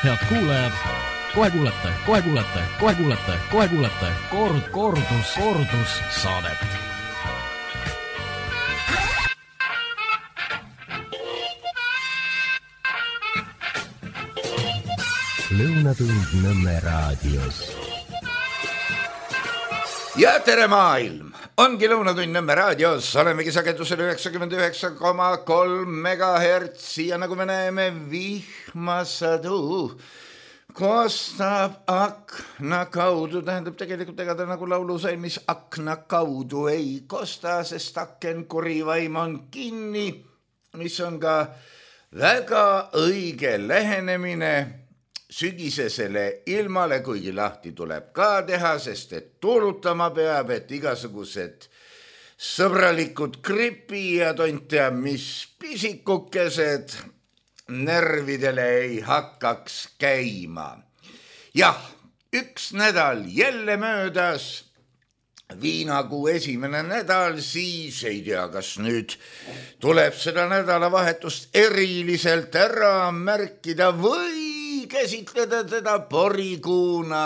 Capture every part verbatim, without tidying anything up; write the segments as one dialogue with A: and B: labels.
A: Head kuulajad, kohe kuulete, kohe kuulete, kohe kuulete, kohe kuulete kord, kordus, kordus saadet.
B: Lõunatund Nõmme raadios.
C: Ja tere maailm! Ongi Lõunatund Nõmme raadios, olemegi sagedusel üheksakümmend üheksa koma kolm megahertsi ja nagu me näeme, vihmasadu kostab akna kaudu, tähendab tegelikult ega ta nagu laulusalmis akna kaudu ei kosta, sest aken kurivaim on kinni, mis on ka väga õige lähenemine sügisesele ilmale, kuigi lahti tuleb ka teha, sest et tuulutama peab, et igasugused sõbralikud gripi ja tontea mis pisikukesed närvidele ei hakkaks käima. Jah, üks nädal jälle möödas, viinakuu esimene nädal, siis ei tea, kas nüüd tuleb seda nädalavahetust eriliselt ära märkida või käsitleda teda porikuuna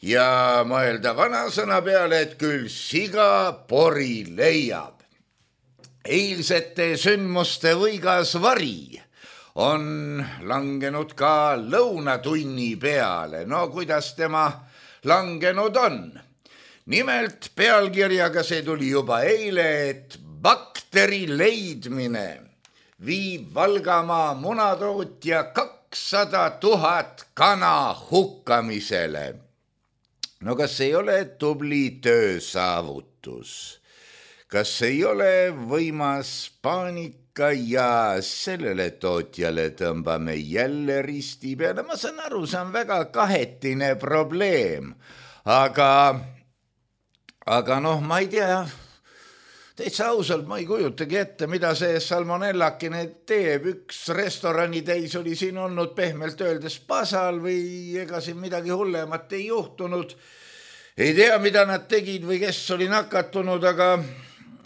C: ja mõelda vanasõna peale, et küll siga pori leiab. Eilsete sündmuste võigas vari on langenud ka lõunatunni peale. No kuidas tema langenud on? Nimelt pealkirjaga see tuli juba eile, et bakteri leidmine viib Valgamaa munatootja kakssada tuhat kana hukkamisele. No kas ei ole tubli töösaavutus? Kas ei ole võimas paanika ja sellele tootjale tõmbame jälle risti peale? Ma saan aru, see on väga kahetine probleem, aga, aga noh, ma ei tea, täitsa ausalt ma ei kujutagi ette, mida see salmonellakene teeb. Üks restorani täis oli siin olnud pehmelt öeldes pasal või ega siin midagi hullemat ei juhtunud. Ei tea, mida nad tegid või kes oli nakatunud, aga,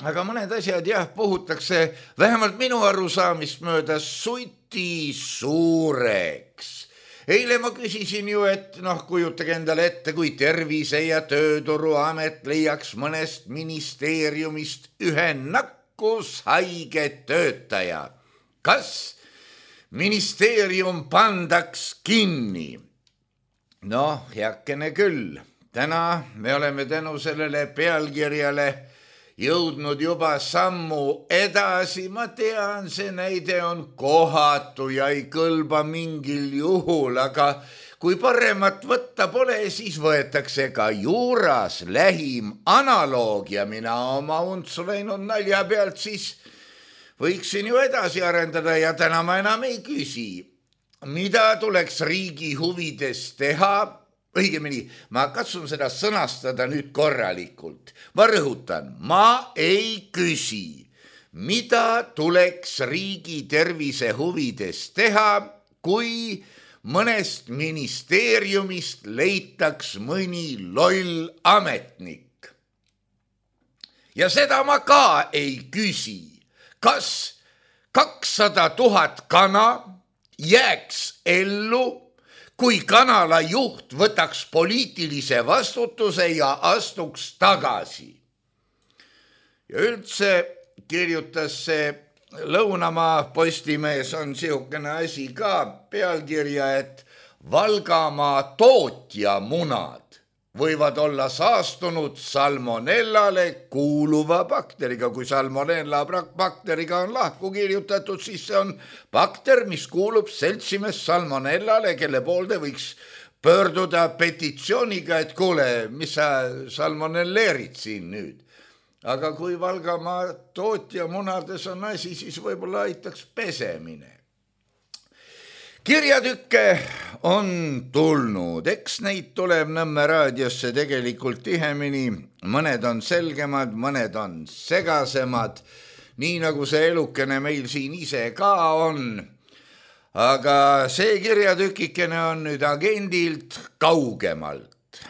C: aga mõned asjad jah, puhutakse vähemalt minu arusaamist mööda suti suureks. Eile ma küsisin ju, et noh, kujutage endale ette, kui Tervise- ja Tööturuamet leiaks mõnest ministeeriumist ühe nakkushaige töötaja. Kas ministeerium pandaks kinni? Noh, heakene küll. Täna me oleme tänu sellele pealkirjale jõudnud juba sammu edasi. Ma tean, see näide on kohatu ja ei kõlba mingil juhul, aga kui paremat võtta pole, siis võetakse ka juuras lähim analoog ja mina oma untsu läinud nalja pealt siis võiksin ju edasi arendada ja täna ma enam ei küsi, mida tuleks riigi huvides teha. Õigemini, ma katsun seda sõnastada nüüd korralikult. Ma rõhutan, ma ei küsi, mida tuleks riigi tervise huvides teha, kui mõnest ministeeriumist leitaks mõni loll ametnik. Ja seda ma ka ei küsi, kas kakssada tuhat kana jääks ellu, kui kanala juht võtaks poliitilise vastutuse ja astuks tagasi. Ja üldse kirjutas see Lõunamaa Postimees on sihukene asi ka pealkirja, et Valgamaa tootja munad võivad olla saastunud salmonellale kuuluva bakteriga. Kui salmonella bakteriga on lahku kirjutatud, siis see on bakter, mis kuulub seltsimees salmonellale, kelle poolde võiks pöörduda petitsiooniga, et kuule, mis sa salmonelleerid siin nüüd. Aga kui Valgamaa tootja munades on asi, siis võib-olla aitaks pesemine. Kirjatükke on tulnud, eks neid tuleb Nõmme raadiosse tegelikult tihemini, mõned on selgemad, mõned on segasemad, nii nagu see elukene meil siin ise ka on. Aga see kirjatükikene on nüüd agendilt kaugemalt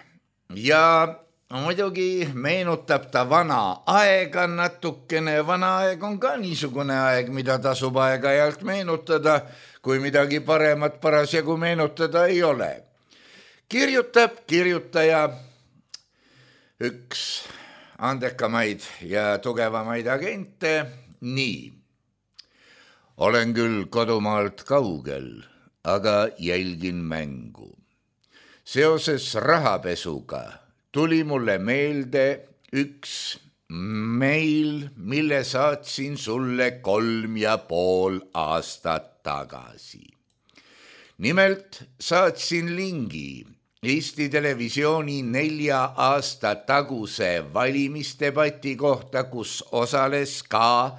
C: ja muidugi meenutab ta vana aega natukene, vana aeg on ka niisugune aeg, mida tasub aeg-ajalt meenutada, kui midagi paremat parasjagu meenutada ei ole. Kirjutab kirjutaja üks andekamaid ja tugevamaid agente nii. Olen küll kodumaalt kaugel, aga jälgin mängu. Seoses rahapesuga tuli mulle meelde üks meil, mille saatsin sulle kolm ja pool aastat tagasi. Nimelt saatsin lingi Eesti Televisiooni nelja aasta taguse valimisdebati kohta, kus osales ka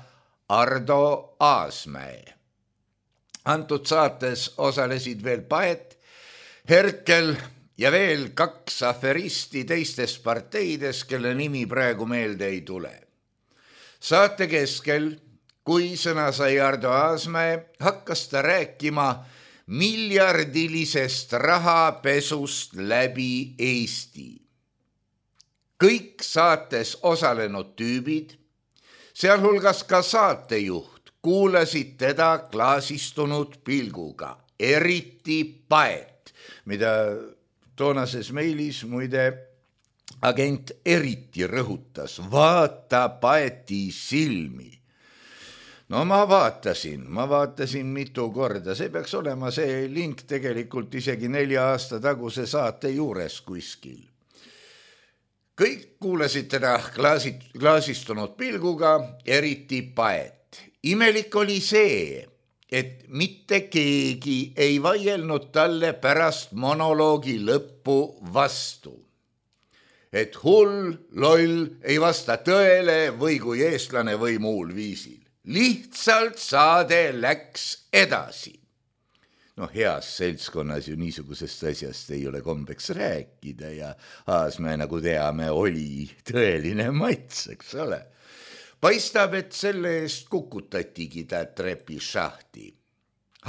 C: Ardo Aasmäe. Antud saates osalesid veel Paet, Herkel ja veel kaks aferisti teistes parteides, kelle nimi praegu meelde ei tule. Saate keskel, kui sõna sai Ardo Aasmäe, hakkas ta rääkima miljardilisest rahapesust läbi Eesti. Kõik saates osalenud tüübid, sealhulgas ka saatejuht, kuulasid teda klaasistunud pilguga, eriti Paet, mida toonases meilis muide agent eriti rõhutas, vaata Paeti silmi. No ma vaatasin, ma vaatasin mitu korda, see peaks olema see link tegelikult isegi nelja aasta taguse saate juures kuskil. Kõik kuulasid teda klaasit, klaasistunud pilguga, eriti Paet. Imelik oli see, et mitte keegi ei vaielnud talle pärast monoloogi lõppu vastu. Et hull, loll ei vasta tõele või kui eestlane või muul viisil. Lihtsalt saade läks edasi. No heas seltskonnas ju niisugusest asjast ei ole kombeks rääkida ja Aasmäe, nagu teame, oli tõeline mats, eks ole. Paistab, et selle eest kukutatigi ta trepishahti.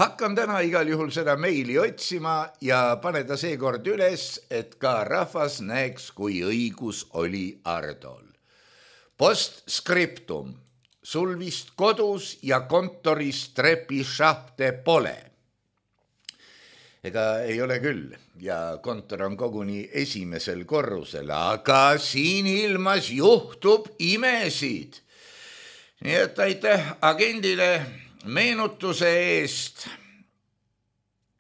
C: Hakkan täna igal juhul seda meili otsima ja paneda seekord üles, et ka rahvas näeks, kui õigus oli Ardol. Postscriptum. Sul vist kodus ja kontoris trepishahte pole. Ega ei ole küll ja kontor on koguni esimesel korrusel, aga siin ilmas juhtub imesid. Nii et aitäh agendile meenutuse eest.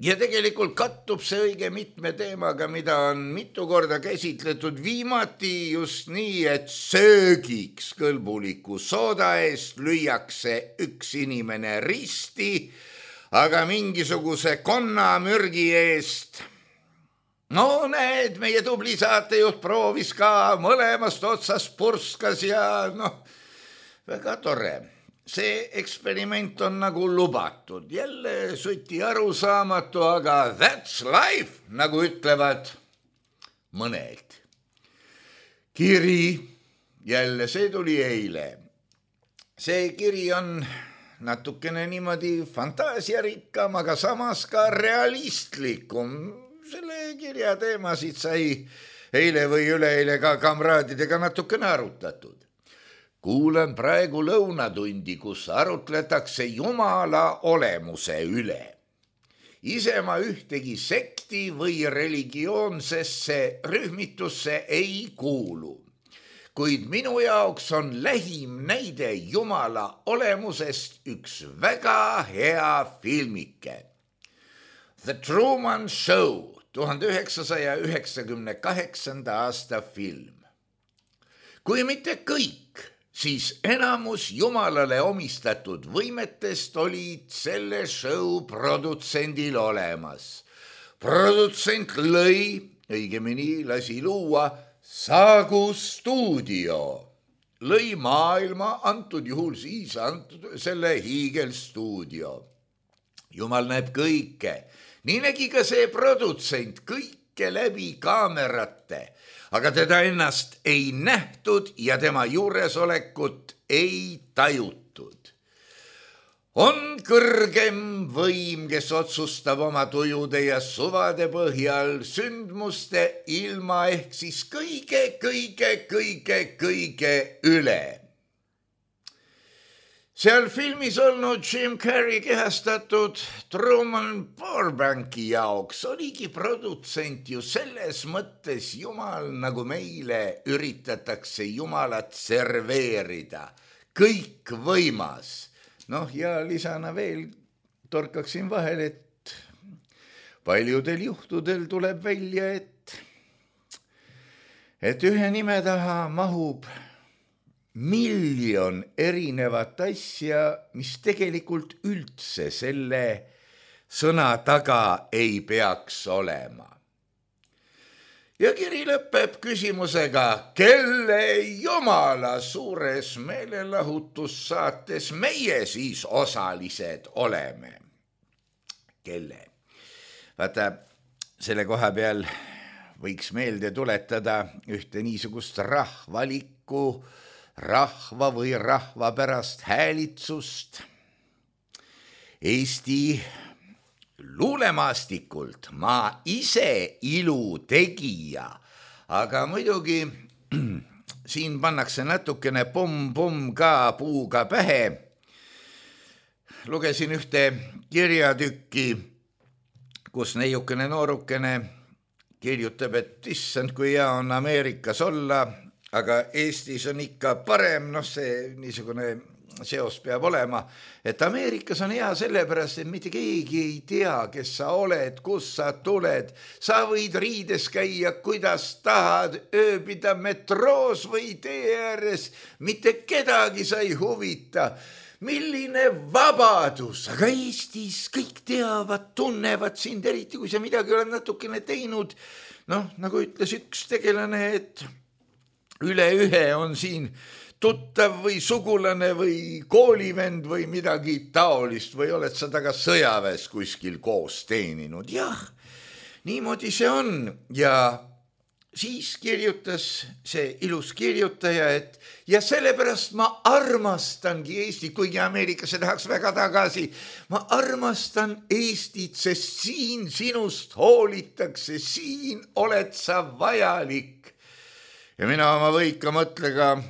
C: Ja tegelikult kattub see õige mitme teemaga, mida on mitu korda käsitletud viimati just nii, et söögiks kõlbuliku sooda eest lüüakse üks inimene risti, aga mingisuguse konnamürgi eest. No näed, meie tubli saatejuht proovis ka, mõlemast otsast purskas ja noh, väga tore. See eksperiment on nagu lubatud, jälle suti arusaamatu, aga that's life, nagu ütlevad mõned. Kiri, jälle see tuli eile. See kiri on natukene niimoodi fantaasiarikkam, aga samas ka realistlikum. Selle kirja teemasid sai eile või üleeile ka kamraadidega natukene arutatud. Kuulen praegu lõunatundi, kus arutletakse Jumala olemuse üle. Ise ma ühtegi sekti või religioonsesse rühmitusse ei kuulu, kuid minu jaoks on lähim näide Jumala olemusest üks väga hea filmike. The Truman Show, tuhande üheksasaja üheksakümne kaheksanda aasta film. Kui mitte kõik, siis enamus Jumalale omistatud võimetest olid selle show produtsendil olemas. Produtsent lõi, õigemini lasi luua, Saagu stuudio. Lõi maailma, antud juhul siis antud selle hiigelstuudio. Jumal näeb kõike. Nii nägi ka see produtsent kõike läbi kaamerate. Aga teda ennast ei nähtud ja tema juuresolekut ei tajutud. on kõrgem võim, kes otsustab oma tujude ja suvade põhjal sündmuste ilma ehk siis kõige, kõige, kõige, kõige üle. Seal filmis olnud Jim Carrey kehastatud Truman Burbanki jaoks oligi produtsent ju selles mõttes jumal, nagu meile üritatakse jumalat serveerida. Kõik võimas. Noh, ja lisana veel torkaksin vahel, et paljudel juhtudel tuleb välja, et, et ühe nime taha mahub miljon erinevat asja, mis tegelikult üldse selle sõna taga ei peaks olema. Ja kiri lõpeb küsimusega, kelle jumala suures meelelahutussaates meie siis osalised oleme. Kelle? Vaata, selle koha peal võiks meelde tuletada ühte niisugust rahvalikku, rahva või rahva pärast häälitsust Eesti luulemaastikult. Ma ise ilu tegija, aga muidugi siin pannakse natukene pomm-pomm ka puuga pähe. Lugesin ühte kirjatükki, kus neiukene noorukene kirjutab, et issand, kui hea on Ameerikas olla, aga Eestis on ikka parem, noh see niisugune seos peab olema, et Ameerikas on hea sellepärast, et mitte keegi ei tea, kes sa oled, kus sa tuled. Sa võid riides käia, kuidas tahad, ööbida metroos või tee ääres, mitte kedagi sa ei huvita. Milline vabadus, aga Eestis kõik teavad, tunnevad sind, eriti kui sa midagi oled natukene teinud. Noh, nagu ütles üks tegelane, et üle ühe on siin tuttav või sugulane või koolivend või midagi taolist või oled sa taga sõjaväes kuskil koos teeninud. Jah, niimoodi see on. Ja siis kirjutas see ilus kirjutaja, et ja sellepärast ma armastangi Eestit, kuigi Ameerikasse tahaks väga tagasi. Ma armastan Eestit, sest siin sinust hoolitakse, siin oled sa vajalik. Ja mina oma võika mõtlega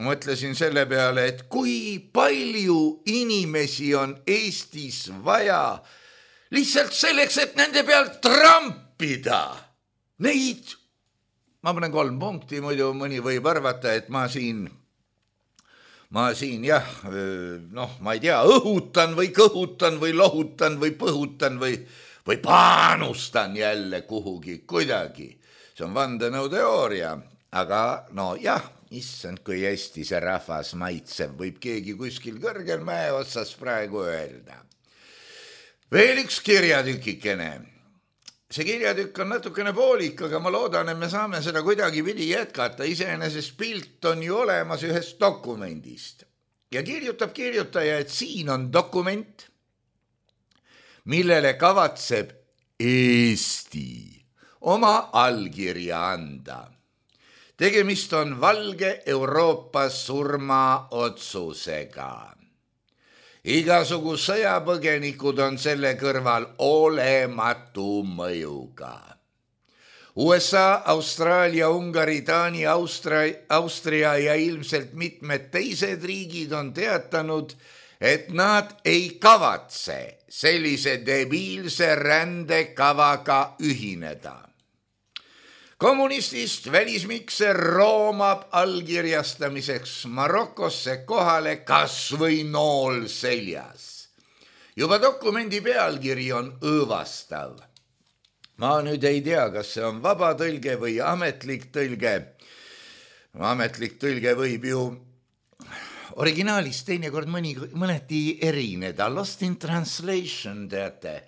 C: mõtlesin selle peale, et kui palju inimesi on Eestis vaja lihtsalt selleks, et nende pealt trampida. Neid, ma panen kolm punkti, muidu mõni võib arvata, et ma siin, ma siin jah, noh, ma ei tea, õhutan või kõhutan või lohutan või põhutan või, või paanustan jälle kuhugi kuidagi. See on vandenõuteooria, aga no jah, issand, kui hästi see rahvas maitseb, võib keegi kuskil kõrgel mäe otsas praegu öelda. Veel üks kirjatükikene. See kirjatükk on natukene poolik, aga ma loodan, et me saame seda kuidagi pidi jätkata. Iseenesest pilt on ju olemas ühest dokumendist. Ja kirjutab kirjutaja, et siin on dokument, millele kavatseb Eesti oma allkirja anda. Tegemist on valge Euroopa surmaotsusega. Igasugu sõjapõgenikud on selle kõrval olematu mõjuga. U S A, Austraalia, Ungari, Taani, Austria, Austria ja ilmselt mitmed teised riigid on teatanud, et nad ei kavatse sellise debiilse rändekavaga ühineda. Kommunistist välismikser roomab allkirjastamiseks Marokosse kohale kas või nool seljas. Juba dokumendi pealkiri on õõvastav. Ma nüüd ei tea, kas see on vaba tõlge või ametlik tõlge. Ametlik tõlge võib ju originaalist teinekord mõni, mõneti erineda. Lost in translation, teate.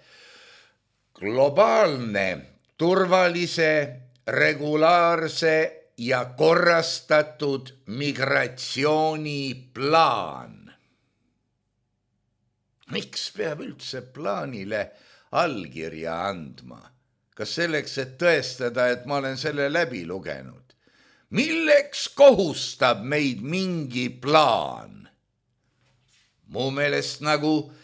C: Globaalne, turvalise, regulaarse ja korrastatud migratsiooniplaan. Miks peab üldse plaanile allkirja andma? Kas selleks, et tõestada, et ma olen selle läbi lugenud? Milleks kohustab meid mingi plaan? Mu meelest nagu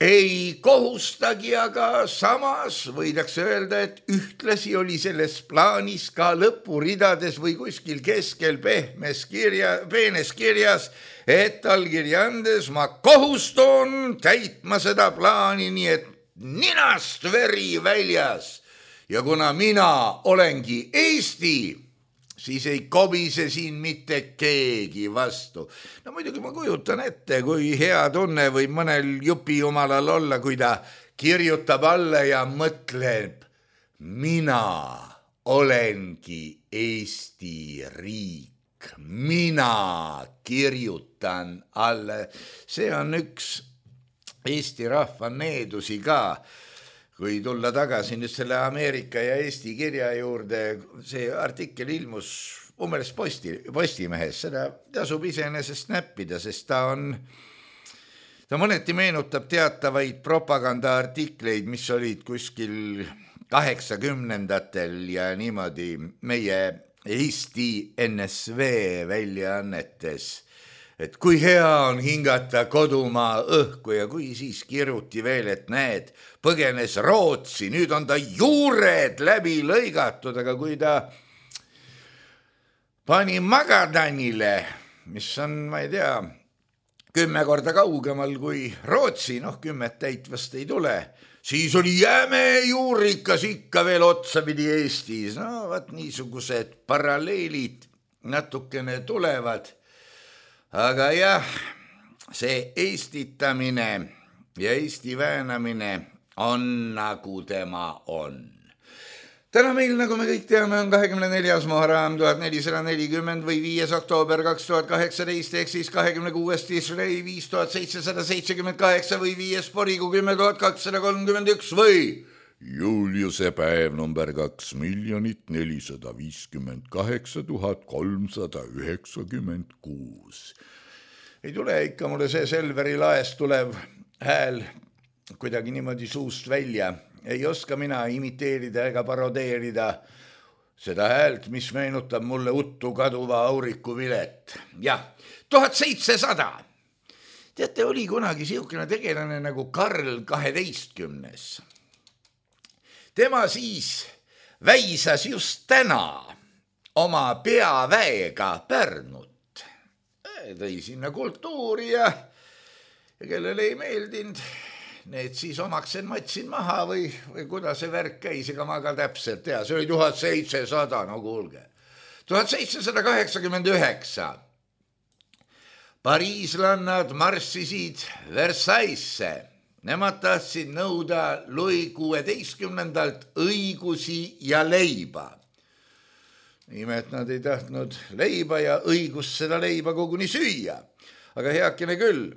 C: ei kohustagi, aga samas võidakse öelda, et ühtlasi oli selles plaanis ka lõpuridades või kuskil keskel pehmes kirja, peenes kirjas, et allkirja andes ma kohustun täitma seda plaani, nii et ninast veri väljas. Ja kuna mina olengi Eesti, siis ei kobise siin mitte keegi vastu. No muidugi ma kujutan ette, kui hea tunne võib mõnel jupi jumalal olla, kui ta kirjutab alla ja mõtleb, mina olengi Eesti riik, mina kirjutan alla. See on üks Eesti rahva needusi ka. Kui tulla tagasi nüüd selle Ameerika ja Eesti kirja juurde, see artikkel ilmus umbes posti, Postimehes, seda tasub iseenesest näppida, sest ta on, ta mõneti meenutab teatavaid propagandaartikleid, mis olid kuskil kaheksakümnendatel ja niimoodi meie Eesti N S V väljaannetes. Et kui hea on hingata kodumaa õhku ja kui siis kiruti veel, et näed, põgenes Rootsi, nüüd on ta juured läbi lõigatud, aga kui ta pani Magadanile, mis on, ma ei tea, kümme korda kaugemal kui Rootsi, noh kümmet täitvast ei tule, siis oli jäme juurikas ikka veel otsapidi Eestis. No vaat niisugused paralleelid natukene tulevad. Aga jah, see eestitamine ja Eesti väänamine on nagu tema on. Täna meil, nagu me kõik teame, on kahekümne neljas Muharram tuhat nelisada nelikümmend või viies oktoober kaks tuhat kaheksateist, ehk siis kahekümne kuues Tishrei viis tuhat seitsesada seitsekümmend kaheksa või viies Porigu kümme tuhat kakssada kolmkümmend üks või Juliuse päev number kaks miljonit nelisada viiskümmend kaheksa tuhat kolmsada üheksakümmend kuus. Ei tule ikka mulle see Selveri laest tulev hääl kuidagi niimoodi suust välja. Ei oska mina imiteerida ega parodeerida seda häält, mis meenutab mulle uttu kaduva auriku vilet. Jah, tuhat seitsesada. Teate, oli kunagi siukene tegelane nagu Karl kaheteistkümnes. Tema siis väisas just täna oma peaväega Pärnut. Tõi sinna kultuuri ja, ja kellele ei meeldinud, need siis omaksen matsin maha või, või kuidas see värk käis, ega ma ka täpselt tea. See oli tuhat seitsesada, no kuulge. tuhat seitsesada kaheksakümmend üheksa. Pariislannad marssisid Versaillesse. Nemad tahtsid nõuda Louis kuueteistkümnendalt õigusi ja leiba. Nimelt nad ei tahtnud leiba ja õigust seda leiba koguni süüa. Aga heakene küll.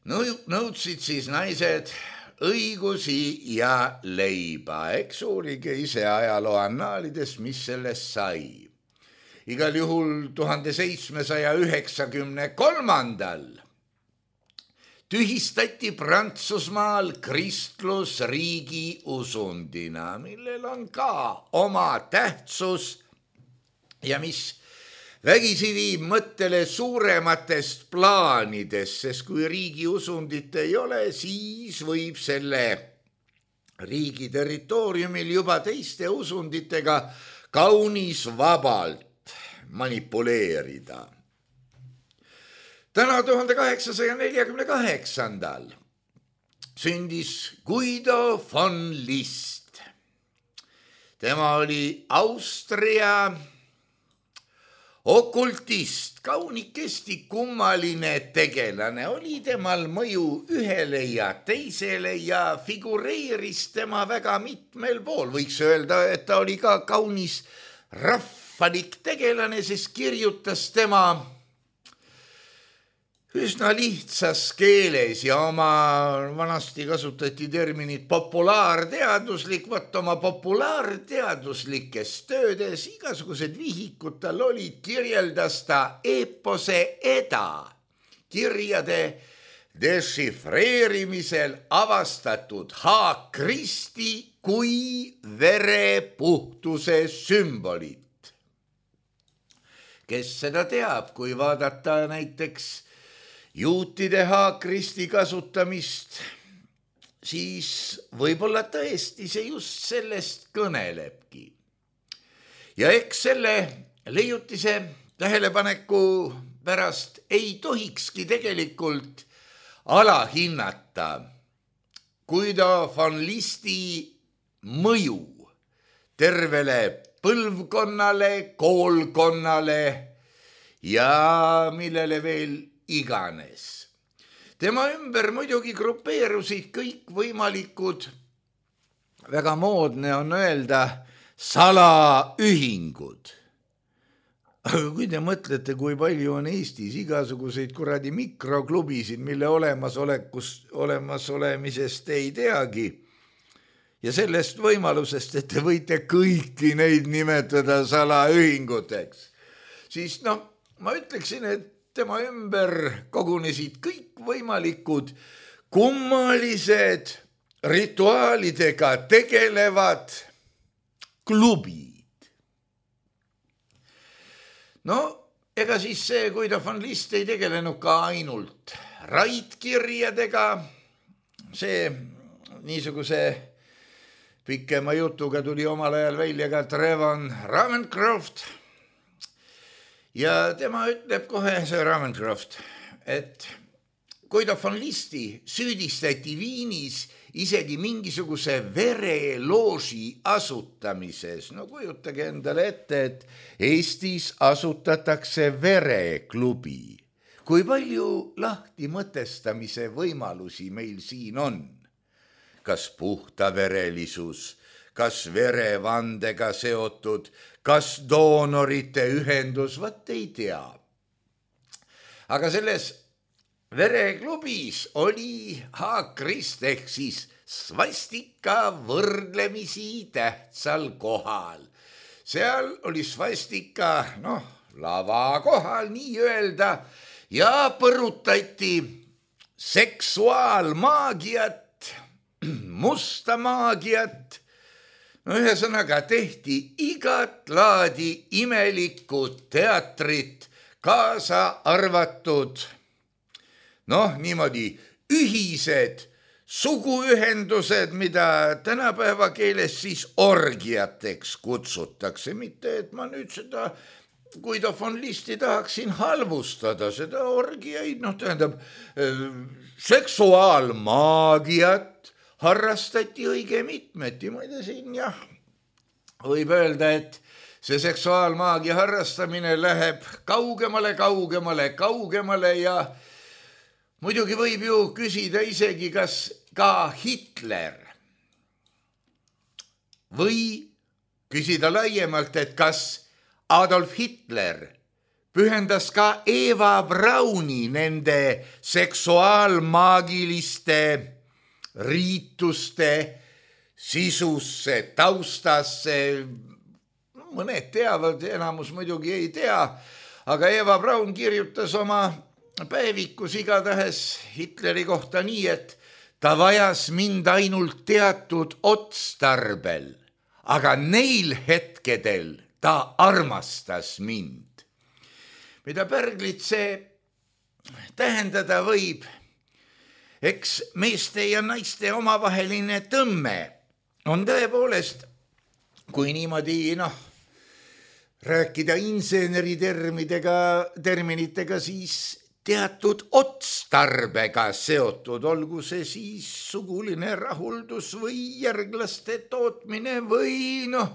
C: Nõudsid siis naised õigusi ja leiba. Eks uurige ise ajaloo annaalides, mis sellest sai. Igal juhul tuhande seitsmesaja üheksakümne kolmandal tühistati Prantsusmaal kristlus riigi usundina, millel on ka oma tähtsus ja mis vägisi viib mõttele suurematest plaanidest, sest kui riigi usundit ei ole, siis võib selle riigi territooriumil juba teiste usunditega kaunis vabalt manipuleerida. Täna tuhande kaheksasaja neljakümne kaheksandal sündis Guido von List. Tema oli Austria okultist, kaunikesti kummaline tegelane. Oli temal mõju ühele ja teisele ja figureeris tema väga mitmel pool. Võiks öelda, et ta oli ka kaunis rahvalik tegelane, sest kirjutas tema üsna lihtsas keeles ja oma vanasti kasutati terminit populaarteaduslik, võtta oma populaarteaduslikes töödes, igasugused vihikud tal olid, kirjeldas ta eepose eda, kirjade dešifreerimisel avastatud H-Kristi kui verepuhtuse sümbolit. Kes seda teab, kui vaadata näiteks juutide haakristi kasutamist, siis võib-olla tõesti see just sellest kõnelebki. Ja eks selle leiutise tähelepaneku pärast ei tohikski tegelikult alahinnata Guido von Listi mõju tervele põlvkonnale, koolkonnale ja millele veel iganes. Tema ümber muidugi grupeerusid kõik võimalikud, väga moodne on öelda, salaühingud. Aga kui te mõtlete, kui palju on Eestis igasuguseid kuradi mikroklubisid, mille olemasolekust, olemasolemisest ei teagi, ja sellest võimalusest, et te võite kõiki neid nimetada salaühinguteks, siis noh, ma ütleksin, et tema ümber kogunesid kõik võimalikud kummalised rituaalidega tegelevad klubid. No, ega siis see Guido von List ei tegelenud ka ainult raidkirjadega, see niisuguse pikema jutuga tuli omal ajal välja ka Trevon Ravenscroft ja tema ütleb kohe, see Ravenscroft, et Guido von Listi süüdistati Viinis isegi mingisuguse verelooži asutamises. No kujutage endale ette, et Eestis asutatakse vereklubi. Kui palju lahti mõtestamise võimalusi meil siin on? Kas puhtaverelisus, kas verevandega seotud, kas doonorite ühendus, vaat ei tea. Aga selles vereklubis oli haakrist ehk siis svastika võrdlemisi tähtsal kohal. Seal oli svastika, noh, lava kohal nii öelda ja põrutati seksuaalmaagiat, musta maagiat. No ühesõnaga tehti igat laadi imelikku teatrit, kaasa arvatud noh, niimoodi ühised suguühendused, mida tänapäeva keeles siis orgiateks kutsutakse. Mitte, et ma nüüd seda Guido von Listi tahaksin halvustada, seda orgiaid, noh tähendab, seksuaalmaagiat harrastati õige mitmeti. Ma ei tea siin, jah, võib öelda, et see seksuaalmaagia harrastamine läheb kaugemale, kaugemale, kaugemale ja muidugi võib ju küsida isegi, kas ka Hitler või küsida laiemalt, et kas Adolf Hitler pühendas ka Eva Brauni nende seksuaalmaagiliste riituste sisusse, taustasse. Mõned teavad, enamus muidugi ei tea, aga Eva Braun kirjutas oma päevikus igatahes Hitleri kohta nii, et ta vajas mind ainult teatud otstarbel, aga neil hetkedel ta armastas mind. Mida pärglit see tähendada võib? Eks meeste ja naiste omavaheline tõmme on tõepoolest, kui niimoodi, noh, rääkida inseneritermidega, terminitega, siis teatud otstarbega seotud, olgu see siis suguline rahuldus või järglaste tootmine või noh,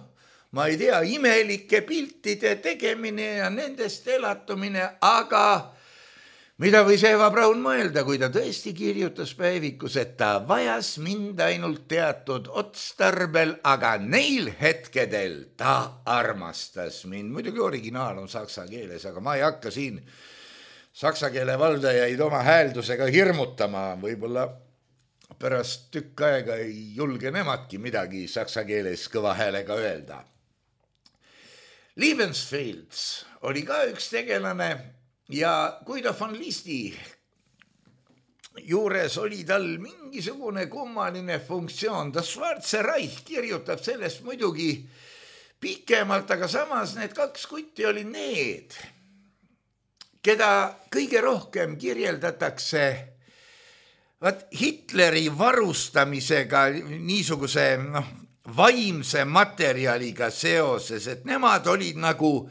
C: ma ei tea, imelike piltide tegemine ja nendest elatumine, aga mida võis Eva Braun mõelda, kui ta tõesti kirjutas päevikus, et ta vajas mind ainult teatud otstarbel, aga neil hetkedel ta armastas mind. Muidugi originaal on saksa keeles, aga ma ei hakka siin saksa keele valdajaid oma hääldusega hirmutama, võib-olla pärast tükk aega ei julge nemadki midagi saksa keeles kõva häälega öelda. Liebensfields oli ka üks tegelane ja Guido von Listi juures oli tal mingisugune kummaline funktsioon. Das Schwarze Reich kirjutab sellest muidugi pikemalt, aga samas need kaks kutti oli need, keda kõige rohkem kirjeldatakse vaat Hitleri varustamisega niisuguse noh, vaimse materjaliga seoses, et nemad olid nagu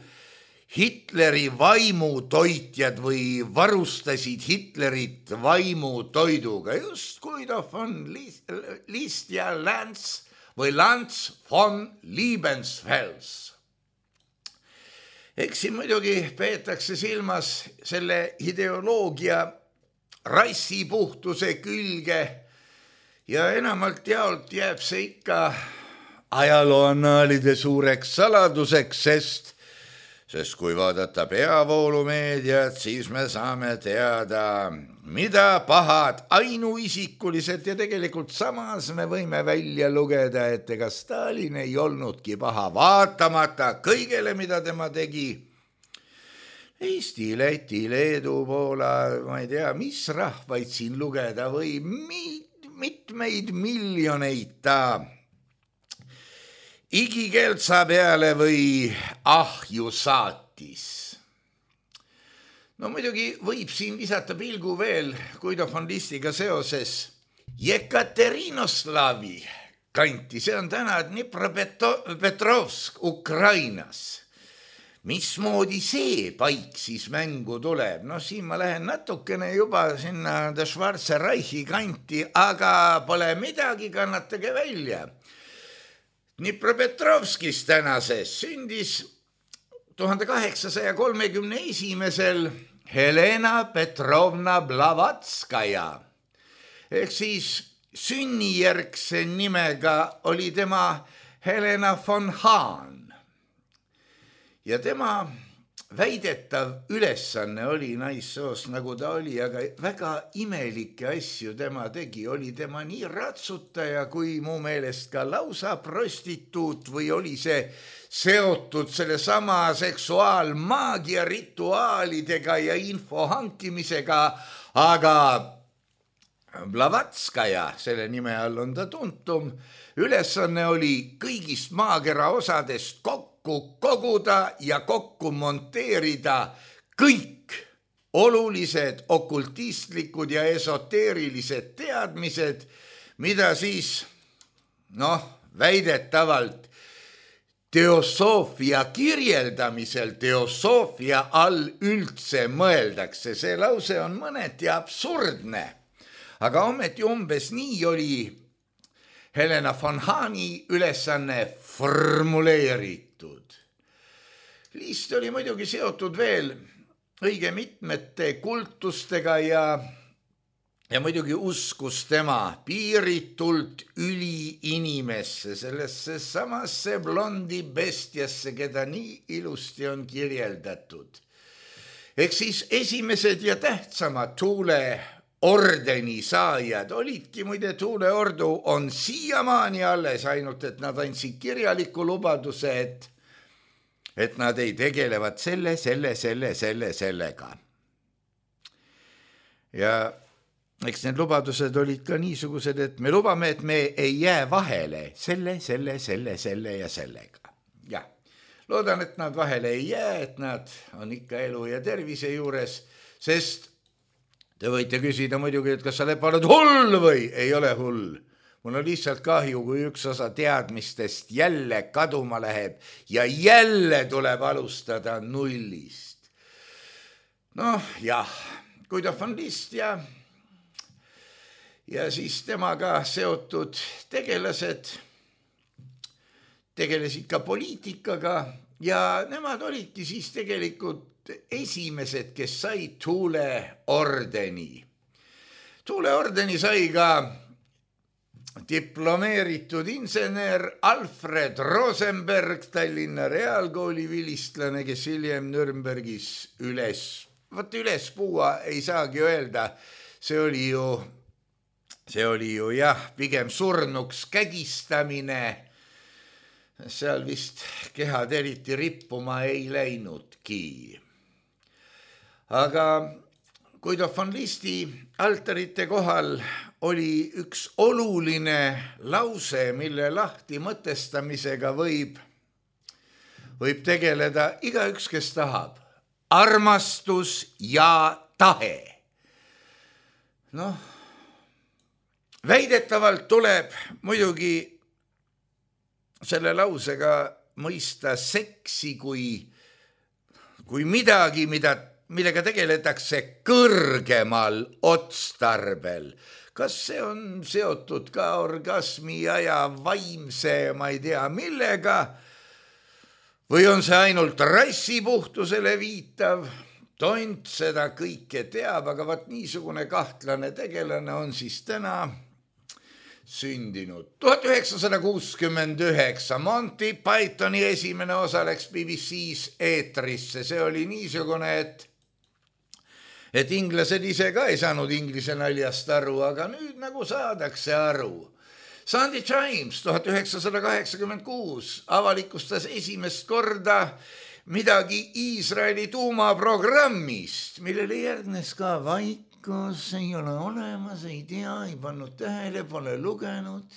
C: Hitleri vaimutoitjad või varustasid Hitlerit vaimutoiduga, just Guido von List ja Lanz või Lanz von Liebensfels. Eks siin muidugi peetakse silmas selle ideoloogia rassipuhtuse külge ja enamalt jaolt jääb see ikka ajalooannaalide suureks saladuseks, sest Sest kui vaadata peavoolumeediat, siis me saame teada, mida pahad ainuisikulised ja tegelikult samas me võime välja lugeda, et ega Stalin ei olnudki paha vaatamata kõigele, mida tema tegi. Eesti, Läti, Leedu, Poola, ma ei tea, mis rahvaid siin lugeda või mitmeid miljoneid ta igikeltsa peale või ahju saatis. No muidugi võib siin visata pilgu veel Guido von Listiga seoses Jekaterinoslavi kanti, see on täna Dnipropetrovsk Ukrainas. Mismoodi see paik siis mängu tuleb? No siin ma lähen natukene juba sinna Schwarze Reichi kanti, aga pole midagi, kannatage välja. Dnipropetrovskis tänases sündis tuhande kaheksasaja kolmekümne esimesel Helena Petrovna Blavatskaja. Ehk siis sünnijärgse nimega oli tema Helena von Hahn. Ja tema väidetav ülesanne oli naissoost, nagu ta oli, aga väga imelikke asju tema tegi. Oli tema nii ratsutaja kui mu meelest ka lausa prostituut või oli see seotud selle sama seksuaalmaagia rituaalidega ja info hankimisega, aga Blavatskaja, selle nime all on ta tuntum, ülesanne oli kõigist maakera osadest kokku koguda ja kokku monteerida kõik olulised okultistlikud ja esoteerilised teadmised, mida siis, noh, väidetavalt teosoofia kirjeldamisel teosoofia all üldse mõeldakse. See lause on mõneti absurdne, aga ometi umbes nii oli Helena von Hahni ülesanne formuleeritud. List oli muidugi seotud veel õige mitmete kultustega ja, ja muidugi uskus tema piiritult üliinimesse, sellesse samasse blondi bestiasse, keda nii ilusti on kirjeldatud. Ehk siis esimesed ja tähtsamad Tuule ordeni saajad olidki, muide Tuule ordu on siiamaani alles, ainult et nad andsid kirjaliku lubaduse, et et nad ei tegelevad selle, selle, selle, selle, sellega. Ja eks need lubadused olid ka niisugused, et me lubame, et me ei jää vahele selle, selle, selle, selle ja sellega. Ja loodan, et nad vahele ei jää, et nad on ikka elu ja tervise juures, sest te võite küsida muidugi, et kas sa Lepa oled hull või ei ole hull. Mul on lihtsalt kahju, kui üks osa teadmistest jälle kaduma läheb ja jälle tuleb alustada nullist. Noh, jah, Guido von List ja, ja siis temaga seotud tegelased tegelesid ka poliitikaga ja nemad olidki siis tegelikult esimesed, kes said Tuule ordeni. Tuule ordeni sai ka diplomeeritud insener Alfred Rosenberg, Tallinna Reaalkooli vilistlane, kes hiljem Nürnbergis üles, võt üles puua ei saagi öelda, see oli ju, see oli ju jah, pigem surnuks kägistamine, seal vist kehad eriti rippuma ei läinudki. Aga Guido von Listi altarite kohal oli üks oluline lause, mille lahti mõtestamisega võib, võib tegeleda igaüks, kes tahab. armastus ja tahe. Noh, väidetavalt tuleb muidugi selle lausega mõista seksi kui, kui midagi, mida, millega tegeletakse kõrgemal otstarbel. Kas see on seotud ka orgasmi ja vaimse, ma ei tea millega, või on see ainult rassipuhtusele viitav? Tont seda kõike teab, aga vaat niisugune kahtlane tegelane on siis täna sündinud. tuhat üheksasada kuuskümmend üheksa Monty Pythoni esimene osa läks B B C-s eetrisse. See oli niisugune, et et inglased ise ka ei saanud inglise naljast aru, aga nüüd nagu saadakse aru. Sunday Times tuhat üheksasada kaheksakümmend kuus avalikustas esimest korda midagi Iisraeli tuumaprogrammist, millele järgnes ka vaikus, ei ole olemas, ei tea, ei pannud tähele, pole lugenud.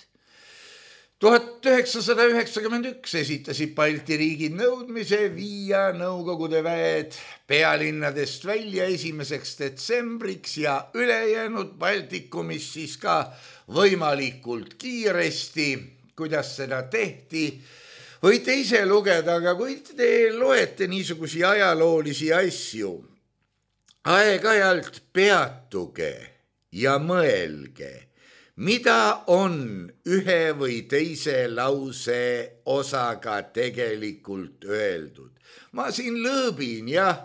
C: tuhat üheksasada üheksakümmend üks esitasid Balti riigid nõudmise viia Nõukogude väed pealinnadest välja esimeseks detsembriks ja ülejäänud Baltikumis siis ka võimalikult kiiresti. Kuidas seda tehti? Võite ise lugeda, aga kui te loete niisugusi ajaloolisi asju, aeg-ajalt peatuge ja mõelge, mida on ühe või teise lause osaga tegelikult öeldud. Ma siin lõõbin, jah,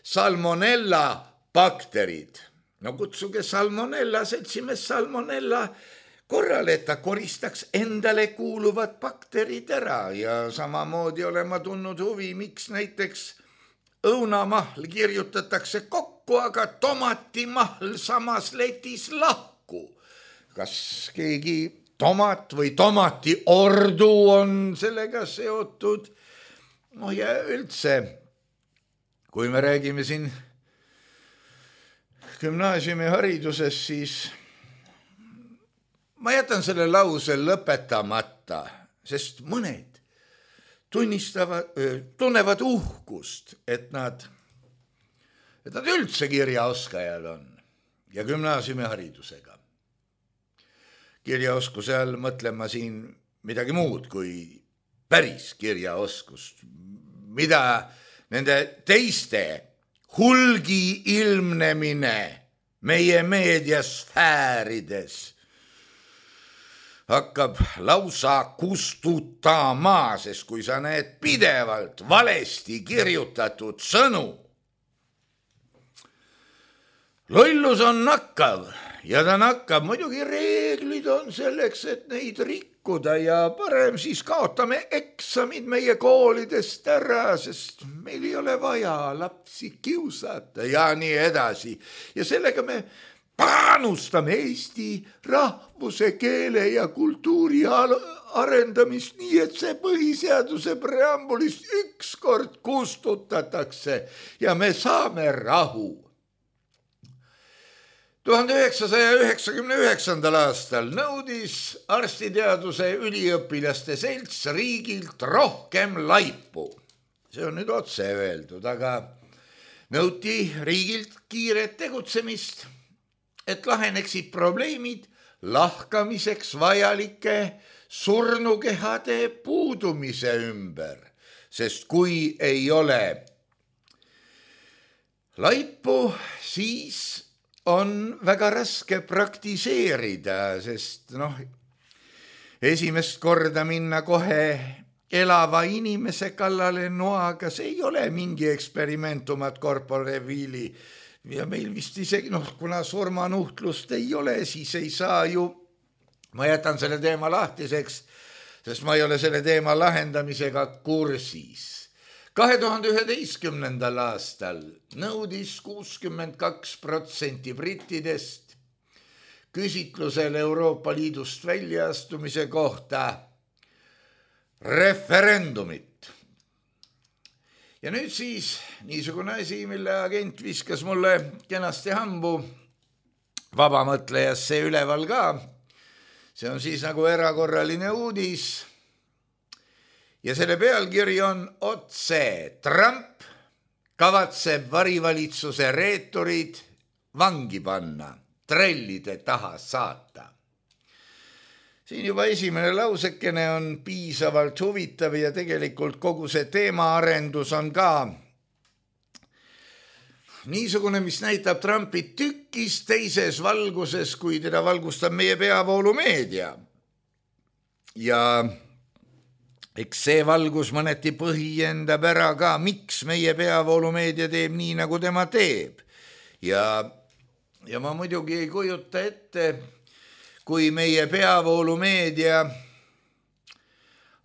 C: salmonella bakterid. No kutsuge salmonella, seltsimees salmonella korral, et ta koristaks endale kuuluvad bakterid ära ja samamoodi olen ma tundnud huvi, miks näiteks õunamahl kirjutatakse kokku, aga tomatimahl samas letis lahku. Kas keegi tomat või tomati ordu on sellega seotud? No ja üldse, kui me räägime siin gümnaasiumi hariduses, siis ma jätan selle lause lõpetamata, sest mõned tunnistavad, tunnevad uhkust, et nad, et nad üldse kirjaoskajad on ja gümnaasiumi haridusega. Kirjaoskuse all mõtlen ma siin midagi muud kui päris kirjaoskust, mida nende teiste hulgi ilmnemine meie meediasfäärides hakkab lausa kustutama, sest kui sa näed pidevalt valesti kirjutatud sõnu. Lollus on nakkav ja ta nakkab, muidugi reeglid on selleks, et neid rikkuda ja parem siis kaotame eksamid meie koolidest ära, sest meil ei ole vaja lapsi kiusata ja nii edasi. Ja sellega me panustame Eesti rahvuse, keele ja kultuuri arendamist nii, et see põhiseaduse preambulist ükskord kustutatakse ja me saame rahu. tuhande üheksasaja üheksakümne üheksandal aastal nõudis arstiteaduse üliõpilaste selts riigilt rohkem laipu. See on nüüd otse öeldud, aga nõuti riigilt kiiret tegutsemist, et laheneksid probleemid lahkamiseks vajalike surnukehade puudumise ümber, sest kui ei ole laipu, siis on väga raske praktiseerida, sest noh, esimest korda minna kohe elava inimese kallale noaga, see ei ole mingi experimentumat corpore vili. Ja meil vist isegi, noh, kuna surmanuhtlust ei ole, siis ei saa ju, ma jätan selle teema lahtiseks, sest ma ei ole selle teema lahendamisega kursis. kahe tuhande üheteistkümnendal aastal nõudis kuuskümmend kaks protsenti brittidest küsitlusel Euroopa Liidust väljaastumise kohta referendumit. Ja nüüd siis niisugune asi, mille agent viskas mulle kenasti hambu vabamõtlejasse üleval ka. See on siis nagu erakorraline uudis. Ja selle pealkiri on otse Trump kavatseb varivalitsuse reeturid vangi panna, trellide taha saata. Siin juba esimene lausekene on piisavalt huvitav ja tegelikult kogu see teemaarendus on ka niisugune, mis näitab Trumpi tükis teises valguses, kui teda valgustab meie peavoolumeedia. Ja eks see valgus mõneti põhjendab ära ka, miks meie peavoolumeedia teeb nii, nagu tema teeb. Ja, ja ma muidugi ei kujuta ette, kui meie peavoolumeedia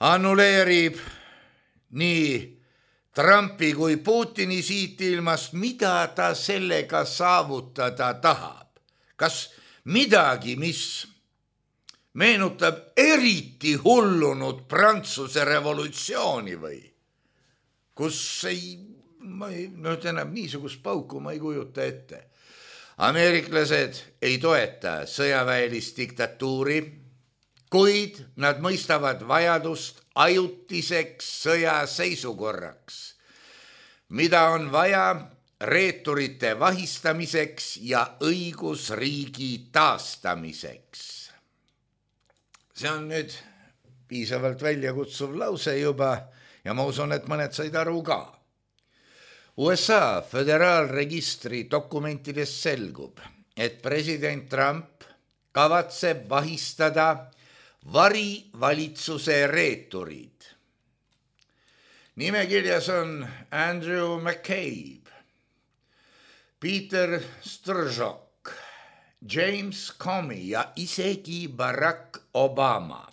C: annuleerib nii Trumpi kui Putini siit ilmast, mida ta sellega saavutada tahab. Kas midagi, mis meenutab eriti hullunud Prantsuse revolutsiooni või? Kus ei, ma ei, no tähendab, niisugust pauku ma ei kujuta ette. Ameeriklased ei toeta sõjaväelist diktatuuri, kuid nad mõistavad vajadust ajutiseks sõjaseisukorraks, mida on vaja reeturite vahistamiseks ja õigusriigi taastamiseks. See on nüüd piisavalt väljakutsuv lause juba ja ma usun, et mõned said aru ka. U S A föderaalregistri dokumentidest selgub, et president Trump kavatseb vahistada varivalitsuse reeturid. Nimekirjas on Andrew McCabe, Peter Strzok, James Comey ja isegi Barack Obama.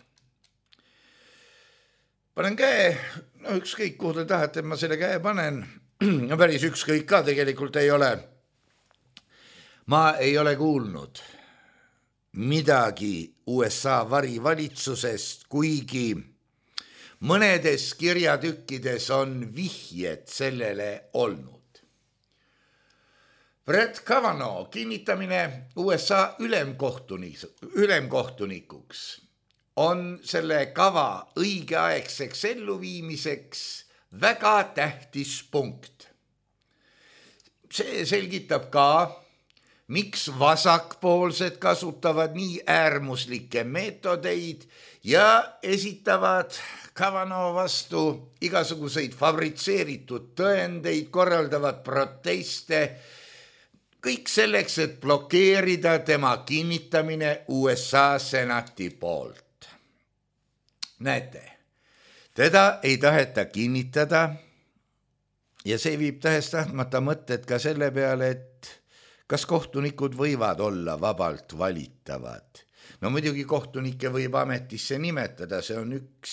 C: Panen käe, no ükskõik kuhu te tahate, et ma selle käe panen, no päris ükskõik ka tegelikult ei ole. Ma ei ole kuulnud midagi U S A varivalitsusest, kuigi mõnedes kirjatükkides on vihjed sellele olnud. Brett Kavanaugh kinnitamine U S A ülemkohtunikuks on selle kava õigeaegseks elluviimiseks väga tähtis punkt. See selgitab ka, miks vasakpoolsed kasutavad nii äärmuslikke meetodeid ja esitavad Kavanaugh vastu igasuguseid fabritseeritud tõendeid, korraldavad proteste, kõik selleks, et blokeerida tema kinnitamine U S A senati poolt. Näete, teda ei taheta kinnitada ja see viib tähestahtmata mõtted ka selle peale, et kas kohtunikud võivad olla vabalt valitavad. No muidugi kohtunikke võib ametisse nimetada, see on üks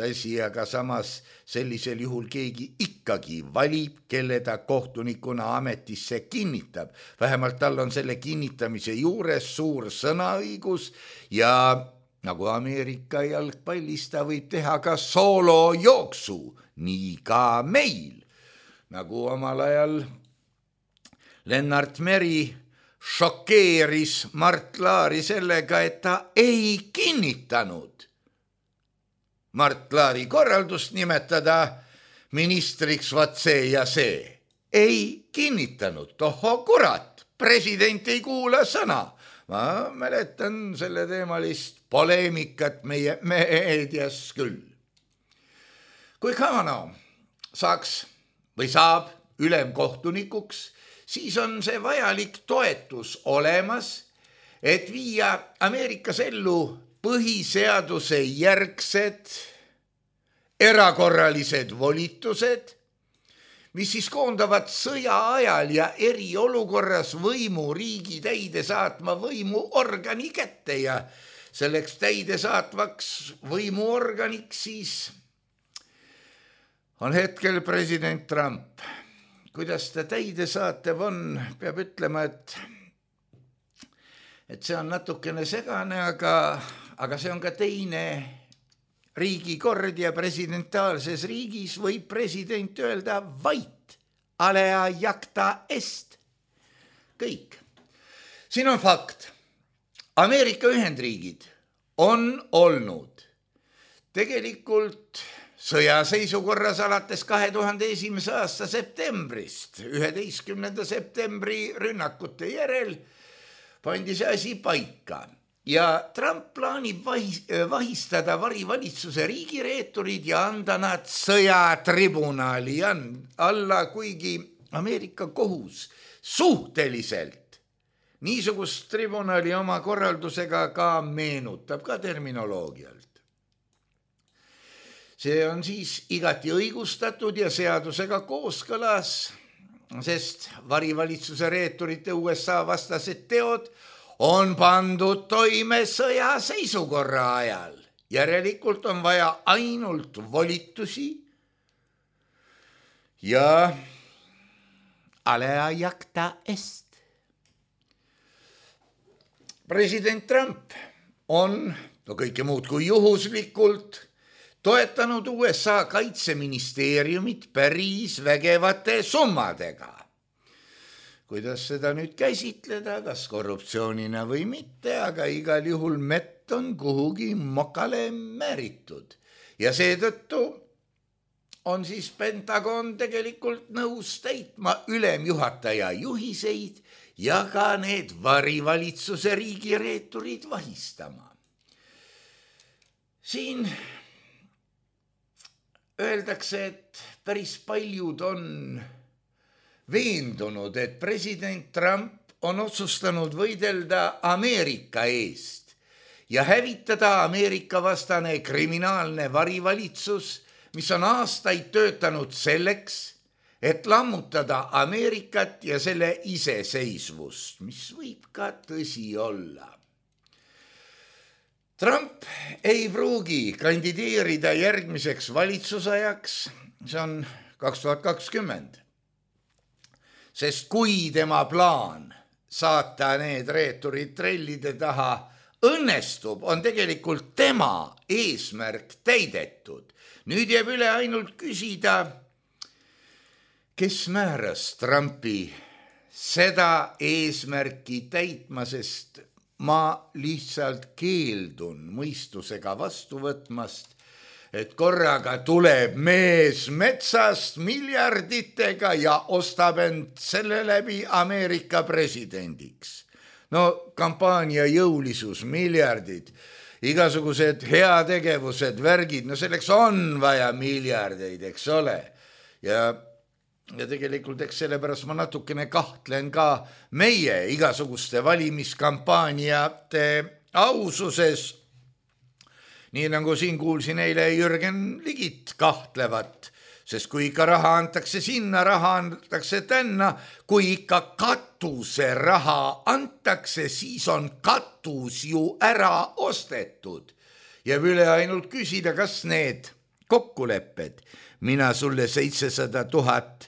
C: asi, aga samas sellisel juhul keegi ikkagi valib, kelle ta kohtunikuna ametisse kinnitab. Vähemalt tal on selle kinnitamise juures suur sõnaõigus ja nagu Ameerika jalgpallis ta võib teha ka soolojooksu, nii ka meil. Nagu omal ajal Lennart Meri šokeeris Mart Laari sellega, et ta ei kinnitanud Mart Laari korraldust nimetada ministriks vaat see ja see. Ei kinnitanud, tohho kurat, president ei kuula sõna. Ma mäletan selle teemalist poleemikat meie meedias küll. Kui Kavanaugh saaks või saab ülemkohtunikuks, siis on see vajalik toetus olemas, et viia Ameerikas ellu põhiseaduse järgsed erakorralised volitused, mis siis koondavad sõja ajal ja eriolukorras võimu riigi täide saatma võimuorgani kätte ja selleks täide saatvaks võimuorganiks siis on hetkel president Trump. Kuidas ta täide saatev on, peab ütlema, et, et see on natukene segane, aga, aga see on ka teine riigikord ja presidentaalses riigis võib president öelda vait, alea jacta est. Kõik. Siin on fakt. Ameerika Ühendriigid on olnud tegelikult sõjaseisukorras alates kahe tuhande esimese aasta septembrist, üheteistkümnenda septembri rünnakute järel pandi see asi paika ja Trump plaanib vahistada varivalitsuse riigireeturid ja anda nad sõjatribunali alla, kuigi Ameerika kohus suhteliselt niisugust tribunali oma korraldusega ka meenutab, ka terminoloogialt. See on siis igati õigustatud ja seadusega kooskõlas, sest varivalitsuse reeturite U S A vastased teod on pandud toime sõjaseisukorra ajal. Järelikult on vaja ainult volitusi ja alea jacta est. President Trump on no kõike muud kui juhuslikult toetanud U S A kaitseministeeriumit päris vägevate summadega. Kuidas seda nüüd käsitleda, kas korruptsioonina või mitte, aga igal juhul mett on kuhugi mokale määritud. Ja seetõttu on siis Pentagon tegelikult nõus täitma ülemjuhataja juhiseid ja ka need varivalitsuse riigireeturid vahistama. Siin öeldakse, et päris paljud on veendunud, et president Trump on otsustanud võidelda Ameerika eest ja hävitada Ameerika vastane kriminaalne varivalitsus, mis on aastaid töötanud selleks, et lammutada Ameerikat ja selle iseseisvust, mis võib ka tõsi olla. Trump ei pruugi kandideerida järgmiseks valitsusajaks, see on kaks tuhat kakskümmend, sest kui tema plaan saata need reeturid trellide taha õnnestub, on tegelikult tema eesmärk täidetud. Nüüd jääb üle ainult küsida, kes määras Trumpi seda eesmärki täitma, sest ma lihtsalt keeldun mõistusega vastu võtmast, et korraga tuleb mees metsast miljarditega ja ostab end selle läbi Ameerika presidendiks. No kampaania jõulisus, miljardid, igasugused heategevused, värgid, no selleks on vaja miljardeid, eks ole. Ja Ja tegelikult eks sellepärast ma natukene kahtlen ka meie igasuguste valimiskampaaniate aususes. Nii nagu siin kuulsin eile Jürgen Ligit kahtlevat, sest kui ikka raha antakse sinna, raha antakse tänna, kui ikka katuse raha antakse, siis on katus ju ära ostetud. Jääb üle ainult küsida, kas need kokkulepped, mina sulle seitsesada tuhat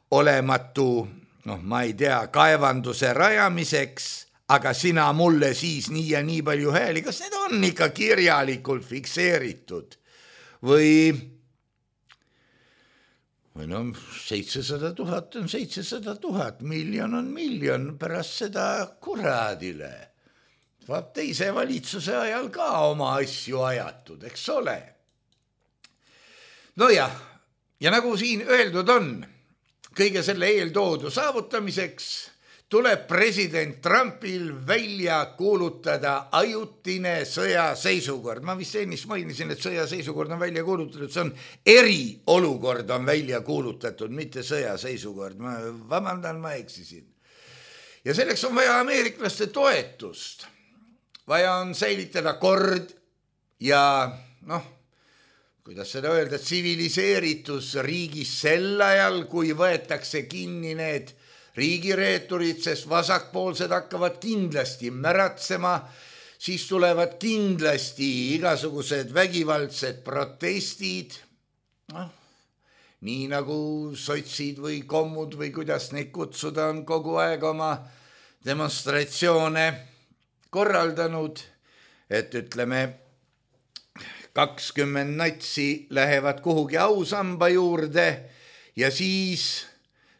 C: olematu, noh, ma ei tea, kaevanduse rajamiseks, aga sina mulle siis nii ja nii palju hääli, kas need on ikka kirjalikult fikseeritud? Või, või no, seitsesada tuhat on seitsesada tuhat, miljon on miljon, pärast seda kuradile. Vaat teise valitsuse ajal ka oma asju ajatud, eks ole. No jah, ja nagu siin öeldud on, kõige selle eeltoodu saavutamiseks tuleb president Trumpil välja kuulutada ajutine sõjaseisukord. Ma vist ennist mainisin, et sõjaseisukord on välja kuulutatud, see on eriolukord on välja kuulutatud, mitte sõjaseisukord. Ma vabandan, ma eksisin. Ja selleks on vaja ameeriklaste toetust. Vaja on säilitada kord ja noh, kuidas seda öelda, tsiviliseeritus riigis sel ajal, kui võetakse kinni need riigireeturid, sest vasakpoolsed hakkavad kindlasti märatsema, siis tulevad kindlasti igasugused vägivaldsed protestid, noh, nii nagu sotsid või kommud või kuidas neid kutsuda on kogu aeg oma demonstratsioone korraldanud, et ütleme, kakskümmend natsi lähevad kuhugi ausamba juurde ja siis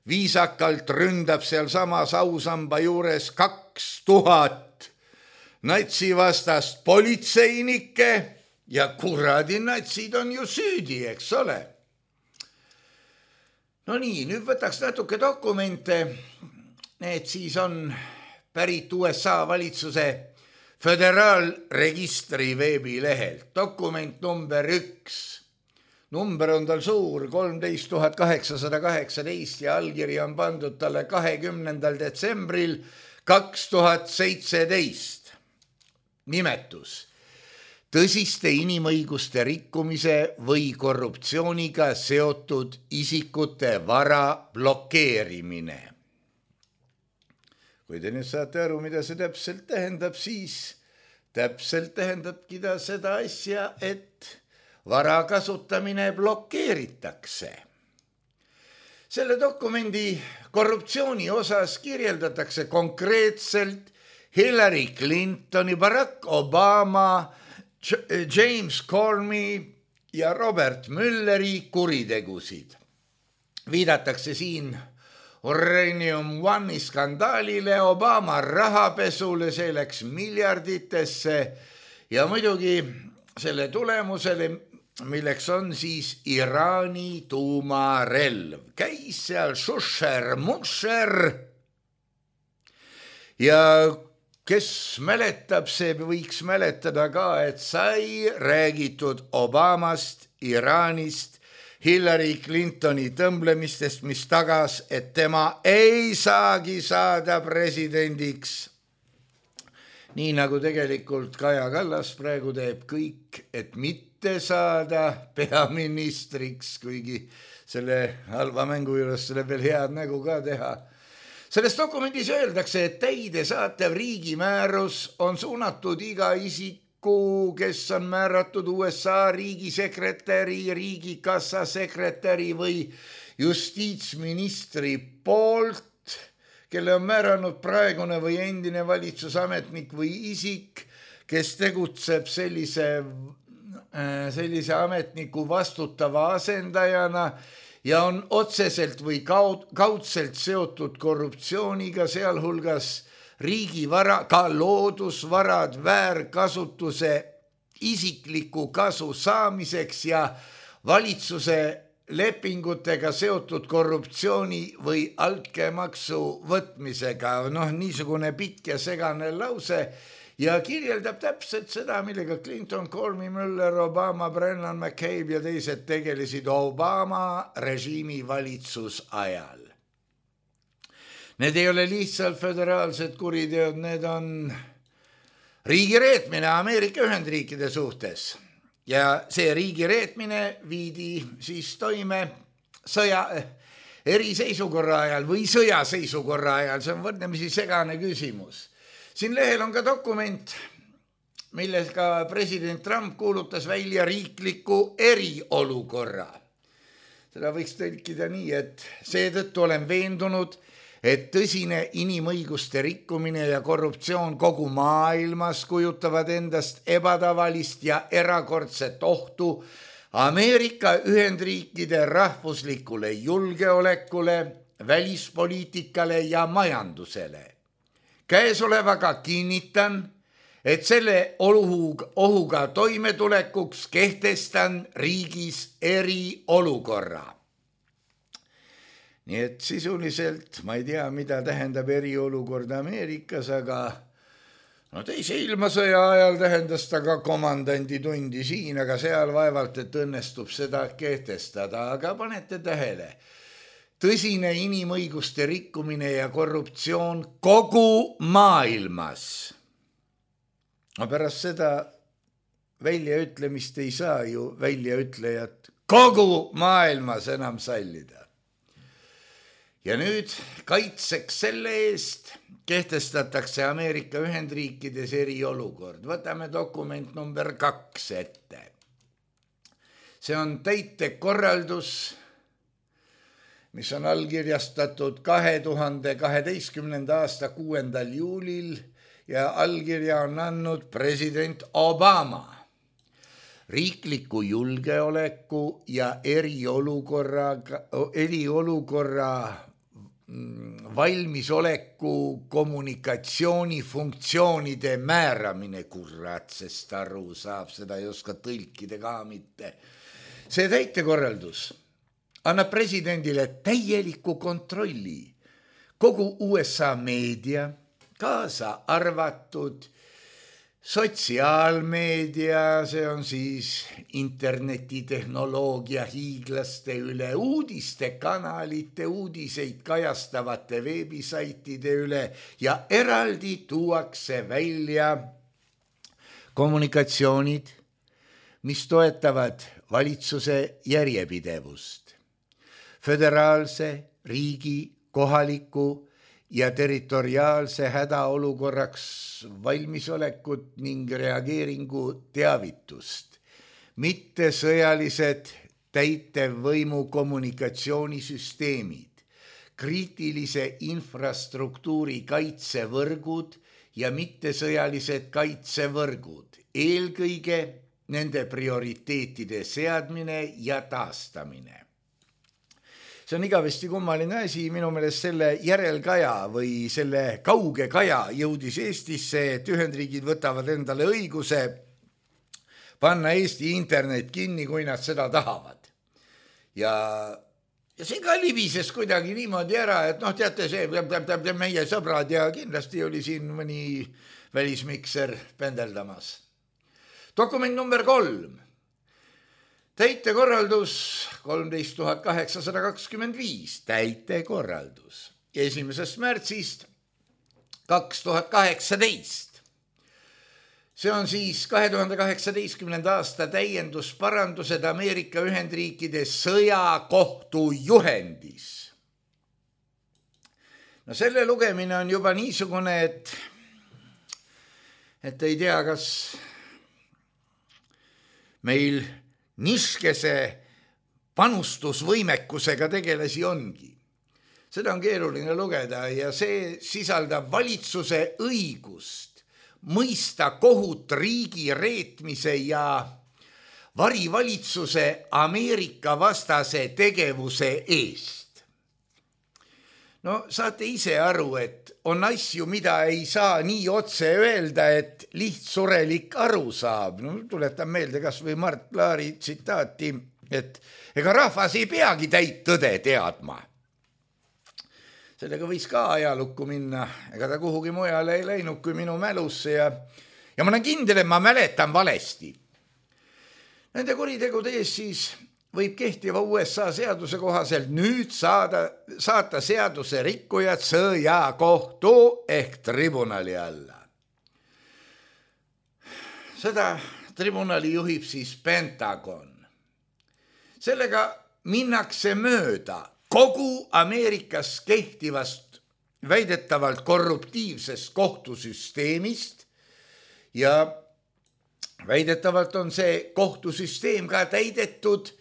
C: viisakalt ründab seal samas ausamba juures kaks tuhat natsivastast politseinikke ja kuradi natsid on ju süüdi, eks ole. No nii, nüüd võtaks natuke dokumente. Need siis on pärit U S A valitsuse föderaalregistri veebilehelt. Dokument number üks. Number on tal suur, kolmteist tuhat kaheksasada kaheksateist ja allkiri on pandud talle kahekümnendal detsembril kaks tuhat seitseteist. Nimetus. Tõsiste inimõiguste rikkumise või korruptsiooniga seotud isikute vara blokeerimine. Kui te nüüd saate aru, mida see täpselt tähendab, siis täpselt tähendabki ta seda asja, et vara kasutamine blokeeritakse. Selle dokumendi korruptsiooni osas kirjeldatakse konkreetselt Hillary Clintoni, Barack Obama, James Comey ja Robert Mülleri kuritegusid. Viidatakse siin Uranium One'i skandaalile, Obama rahapesule, see läks miljarditesse ja muidugi selle tulemusele, milleks on siis Iraani tuumarelv. Käis seal šušer, mušer ja kes mäletab, see võiks mäletada ka, et sai räägitud Obamast, Iraanist, Hillary Clintoni tõmblemistest, mis tagas, et tema ei saagi saada presidendiks. Nii nagu tegelikult Kaja Kallas praegu teeb kõik, et mitte saada peaministriks, kuigi selle halva mängu juures selle veel head nägu ka teha. Selles dokumendis öeldakse, et täidesaatev riigimäärus on suunatud iga isiku, kes on määratud U S A riigisekretäri, riigikassa sekretäri või justiitsministri poolt, kelle on määranud praegune või endine valitsusametnik või isik, kes tegutseb sellise, sellise ametniku vastutava asendajana ja on otseselt või kaudselt seotud korruptsiooniga, sealhulgas riigivara, ka loodusvarad väärkasutuse isikliku kasu saamiseks ja valitsuse lepingutega seotud korruptsiooni või altkäemaksu võtmisega. Noh, niisugune pikk ja segane lause ja kirjeldab täpselt seda, millega Clinton, Comey, Mueller, Obama, Brennan, McCabe ja teised tegelesid Obama režiimi valitsus ajal. Need ei ole lihtsalt föderaalsed kuriteod, need on riigireetmine Ameerika Ühendriikide suhtes. Ja see riigireetmine viidi siis toime sõja, eriseisukorra ajal või sõjaseisukorra ajal, see on võrdlemisi segane küsimus. Siin lehel on ka dokument, millega president Trump kuulutas välja riikliku eriolukorra. Seda võiks tõlkida nii, et seetõttu olen veendunud, et tõsine inimõiguste rikkumine ja korruptsioon kogu maailmas kujutavad endast ebatavalist ja erakordset ohtu Ameerika Ühendriikide rahvuslikule julgeolekule, välispoliitikale ja majandusele. Käesolevaga kinnitan, et selle ohuga, ohuga toimetulekuks kehtestan riigis eriolukorra. Nii et sisuliselt, ma ei tea, mida tähendab eriolukord Ameerikas, aga no teise ilmasõja ajal tähendas ta ka komandandi tundi siin, aga seal vaevalt, et õnnestub seda kehtestada, aga panete tähele. Tõsine inimõiguste rikkumine ja korruptsioon kogu maailmas. No pärast seda väljaütlemist ei saa ju väljaütlejat kogu maailmas enam sallida. Ja nüüd kaitseks selle eest kehtestatakse Ameerika Ühendriikides eriolukord. Võtame dokument number kaks ette. See on täitekorraldus, mis on allkirjastatud kahe tuhande kaheteistkümnenda aasta kuuendal juulil ja allkirja on andnud president Obama. Riikliku julgeoleku ja eriolukorra, eriolukorra valmisoleku kommunikatsioonifunktsioonide määramine, kurat, sest aru saab, seda ei oska tõlkida ka mitte. See täitekorraldus annab presidendile täieliku kontrolli kogu U S A meedia, kaasa arvatud sotsiaalmeedia, see on siis internetitehnoloogia hiiglaste üle, uudistekanalite, uudiseid kajastavate veebisaitide üle ja eraldi tuuakse välja kommunikatsioonid, mis toetavad valitsuse järjepidevust, föderaalse, riigi, kohaliku ja territoriaalse hädaolukorraks valmisolekut ning reageeringu teavitust, mitte sõjalised täitevvõimu kommunikatsioonisüsteemid, kriitilise infrastruktuuri kaitsevõrgud ja mitte sõjalised kaitsevõrgud, eelkõige nende prioriteetide seadmine ja taastamine. See on igavesti kummaline asi, minu meelest selle järelkaja või selle kauge kaja jõudis Eestisse, et Ühendriigid võtavad endale õiguse panna Eesti internet kinni, kui nad seda tahavad. Ja, ja see ka libises kuidagi niimoodi ära, et noh, teate, see meie sõbrad ja kindlasti oli siin mõni välismikser pendeldamas. Dokument number kolm. Täitekorraldus kolmteist tuhat kaheksasada kakskümmend viis, täitekorraldus esimesest märtsist kaks tuhat kaheksateist. See on siis kahe tuhande kaheksateistkümnenda aasta täiendusparandused Ameerika Ühendriikide sõjakohtu juhendis. No selle lugemine on juba niisugune, et, et ei tea, kas meil niskese panustusvõimekusega tegelasi ongi. Seda on keeruline lugeda ja see sisaldab valitsuse õigust mõista kohut riigi reetmise ja varivalitsuse Ameerika vastase tegevuse eest. No saate ise aru, et on asju, mida ei saa nii otse öelda, et lihtsurelik aru saab. No, tuletan meelde kas või Mart Laari tsitaati, et ega rahvas ei peagi täit tõde teadma. Sellega võis ka ajalukku minna, ega ta kuhugi mujale ei läinud kui minu mälusse ja, ja ma olen kindel, et ma mäletan valesti. Nende kuritegude ees siis võib kehtiva U S A seaduse kohaselt nüüd saada, saata seaduse rikkujad sõjakohtu ehk tribunali alla. Seda tribunali juhib siis Pentagon. Sellega minnakse mööda kogu Ameerikas kehtivast väidetavalt korruptiivsest kohtusüsteemist ja väidetavalt on see kohtusüsteem ka täidetud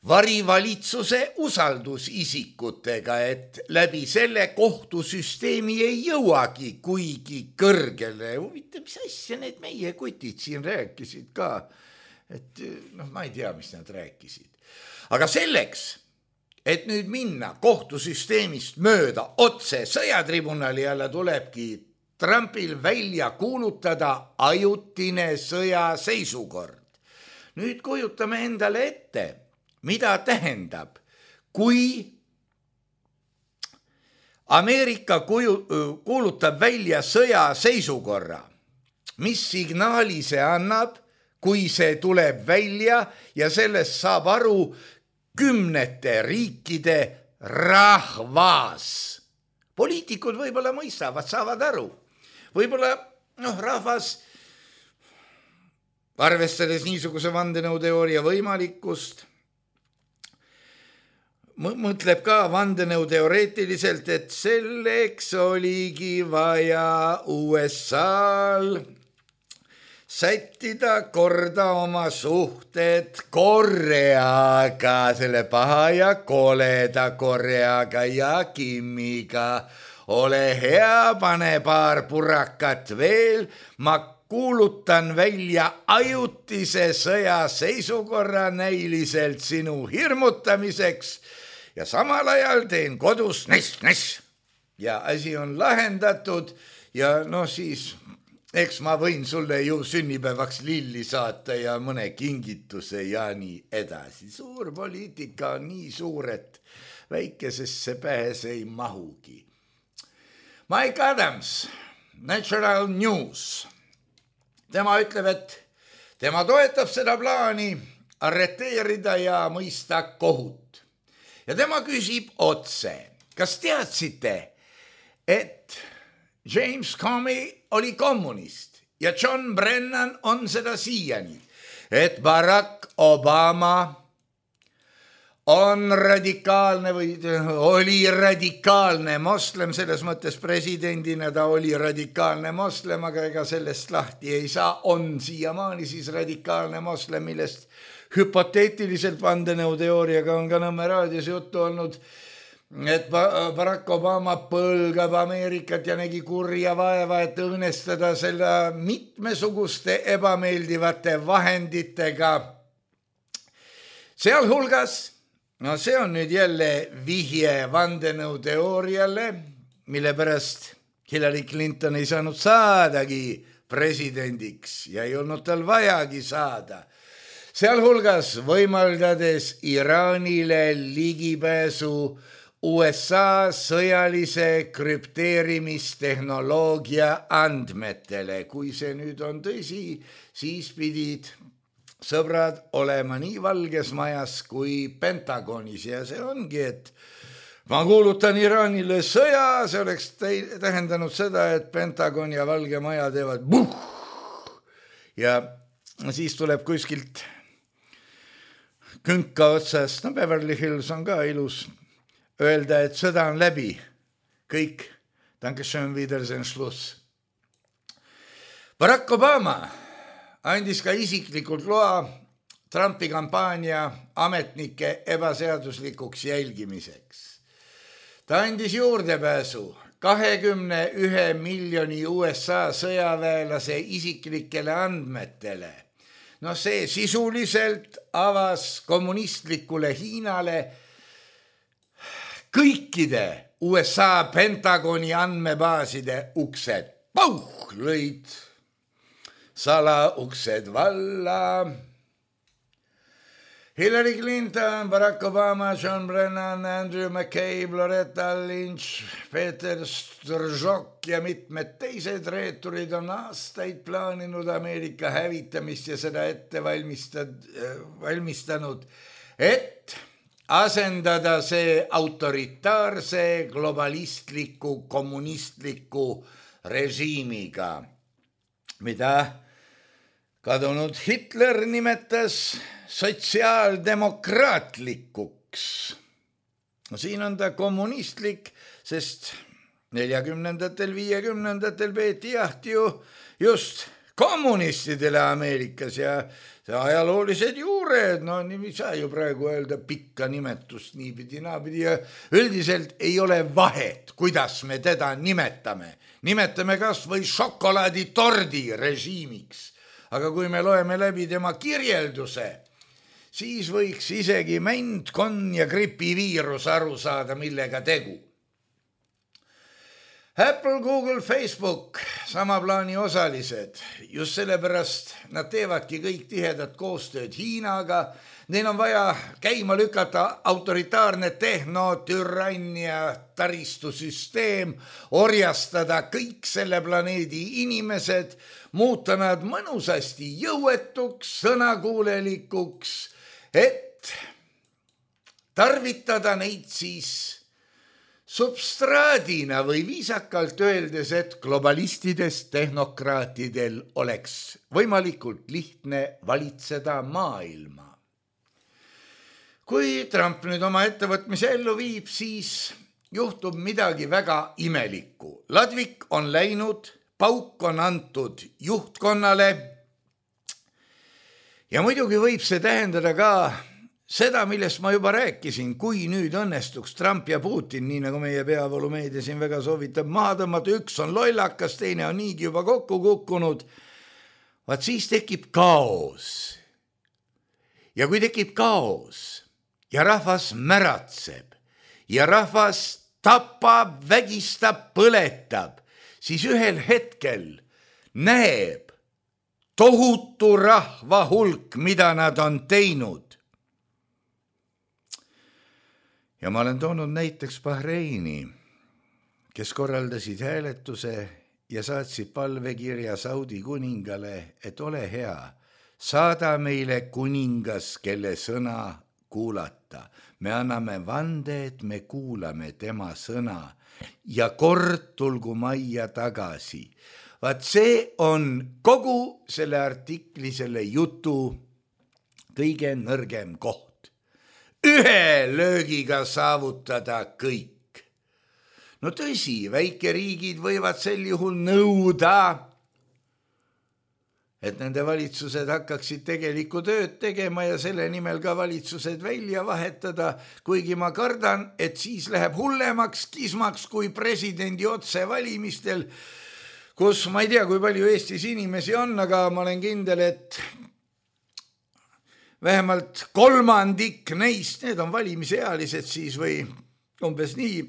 C: varivalitsuse usaldusisikutega, et läbi selle kohtusüsteemi ei jõuagi kuigi kõrgele. Huvitav, mis asja need meie kutid siin rääkisid ka, et noh, ma ei tea, mis nad rääkisid. Aga selleks, et nüüd minna kohtusüsteemist mööda otse sõjatribunali alla, tulebki Trumpil välja kuulutada ajutine sõjaseisukord. Nüüd kujutame endale ette, mida tähendab, kui Ameerika kuju, kuulutab välja sõjaseisukorra, mis signaali see annab, kui see tuleb välja ja sellest saab aru kümnete riikide rahvas. Poliitikud võib-olla mõistavad, saavad aru. Võib-olla noh, rahvas, arvestades niisuguse vandenõuteooria võimalikkust, mõtleb ka vandenõuteoreetiliselt, et selleks oligi vaja U S A-l sättida korda oma suhted Koreaga, selle paha ja koleda Koreaga ja Kimiga. Ole hea, pane paar purakat veel, ma kuulutan välja ajutise sõjaseisukorra näiliselt sinu hirmutamiseks ja samal ajal teen kodus ness, ness. ja asi on lahendatud ja noh siis eks ma võin sulle ju sünnipäevaks lilli saata ja mõne kingituse ja nii edasi. Suur poliitika on nii suur, et väikesesse pähes ei mahugi. Mike Adams, Natural News. Tema ütleb, et tema toetab seda plaani arreteerida ja mõista kohut. Ja tema küsib otse, kas teadsite, et James Comey oli kommunist ja John Brennan on seda siiani, et Barack Obama on radikaalne või oli radikaalne moslem, selles mõttes presidendina ta oli radikaalne moslem, aga ega sellest lahti ei saa, on siiamaani siis radikaalne moslem, millest hüpoteetiliselt vandenõuteooriaga on ka Nõmme raadios juttu olnud, et Barack Obama põlgab Ameerikat ja nägi kurja vaeva, et õõnestada selle mitmesuguste ebameeldivate vahenditega. Sealhulgas, no see on nüüd jälle vihje vandenõuteooriale, mille pärast Hillary Clinton ei saanud saadagi presidendiks ja ei olnud tal vajagi saada. Sealhulgas võimaldades Iraanile ligipääsu U S A sõjalise krüpteerimistehnoloogia andmetele. Kui see nüüd on tõsi, siis pidid sõbrad olema nii Valges Majas kui Pentagonis ja see ongi, et ma kuulutan Iraanile sõja, see oleks tähendanud seda, et Pentagon ja Valge Maja teevad buh ja siis tuleb kuskilt künka otsast, no Beverly Hills on ka ilus, öelda, et sõda on läbi. Kõik, dankeschön, wiedersehen, Schluss. Barack Obama andis ka isiklikult loa Trumpi kampaania ametnike ebaseaduslikuks jälgimiseks. Ta andis juurdepääsu kahekümne ühe miljoni U S A sõjaväelase isiklikele andmetele. No see sisuliselt avas kommunistlikule Hiinale kõikide U S A Pentagoni andmebaaside uksed. Pauh, lõid salauksed valla. Hillary Clinton, Barack Obama, John Brennan, Andrew McCabe, Loretta Lynch, Peter Strzok ja mitmed teised reeturid on aastaid plaaninud Ameerika hävitamist ja seda ette valmistanud, et asendada see autoritaarse, globalistliku, kommunistliku režiimiga, mida kadunud Hitler nimetas sotsiaaldemokraatlikuks. No siin on ta kommunistlik, sest neljakümnendatel, viiekümnendatel peeti jahti ju just kommunistidele Ameerikas ja ajaloolised juured, no nii saa ju praegu öelda pikka nimetust niipidi, naapidi ja üldiselt ei ole vahet, kuidas me teda nimetame. Nimetame kas või šokolaaditordi režiimiks, aga kui me loeme läbi tema kirjelduse, siis võiks isegi mänd, konn ja gripiviirus aru saada, millega tegu. Apple, Google, Facebook, sama plaani osalised, just sellepärast nad teevadki kõik tihedat koostööd Hiinaga, neil on vaja käima lükata autoritaarne tehnotürannia taristusüsteem, orjastada kõik selle planeedi inimesed, muuta nad mõnusasti jõuetuks, sõnakuulelikuks, et tarvitada neid siis substraadina või viisakalt öeldes, et globalistidest tehnokraatidel oleks võimalikult lihtne valitseda maailma. Kui Trump nüüd oma ettevõtmise ellu viib, siis juhtub midagi väga imelikku. Ladvik on läinud, pauk on antud juhtkonnale ja muidugi võib see tähendada ka seda, millest ma juba rääkisin, kui nüüd õnnestuks Trump ja Putin, nii nagu meie peavoolumeedia siin väga soovitab, maha tõmmata, üks on lollakas, teine on niigi juba kokku kukkunud, vaat siis tekib kaos. Ja kui tekib kaos ja rahvas märatseb ja rahvas tapab, vägistab, põletab, siis ühel hetkel näeb tohutu rahva hulk, mida nad on teinud. Ja ma olen toonud näiteks Bahreini, kes korraldasid hääletuse ja saatsid palvekirja Saudi kuningale, et ole hea, saada meile kuningas, kelle sõna kuulata. Me anname vande, et me kuulame tema sõna ja kord tulgu majja tagasi. Vaat see on kogu selle artikli, selle jutu kõige nõrgem koht. Ühe löögiga saavutada kõik. No tõsi, väikeriigid võivad sel juhul nõuda, et nende valitsused hakkaksid tegelikku tööd tegema ja selle nimel ka valitsused välja vahetada, kuigi ma kardan, et siis läheb hullemaks kismaks kui presidendi otsevalimistel, kus ma ei tea, kui palju Eestis inimesi on, aga ma olen kindel, et vähemalt kolmandik neist, need on valimisealised siis või umbes nii,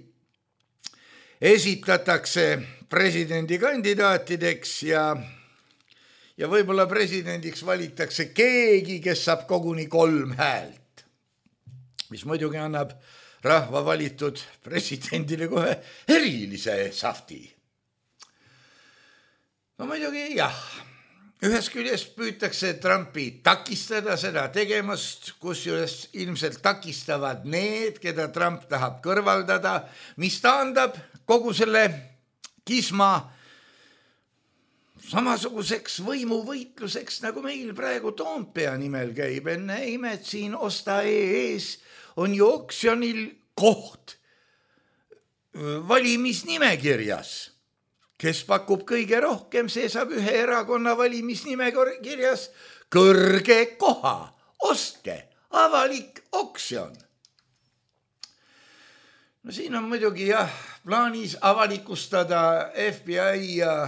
C: esitatakse presidendikandidaatideks ja ja võib-olla presidendiks valitakse keegi, kes saab koguni kolm häält, mis muidugi annab rahva valitud presidendile kohe erilise safti. No muidugi jah, ühest küljest püütakse Trumpi takistada seda tegemast, kusjuures ilmselt takistavad need, keda Trump tahab kõrvaldada, mis taandab kogu selle kisma samasuguseks võimuvõitluseks, nagu meil praegu Toompea nimel käib. Enne imet siin Osta E-ees on ju oksjonil koht valimisnimekirjas. Kes pakub kõige rohkem, see saab ühe erakonna valimisnimekirjas kõrge koha. Ostke, avalik oksjon. No siin on muidugi jah, plaanis avalikustada F B I ja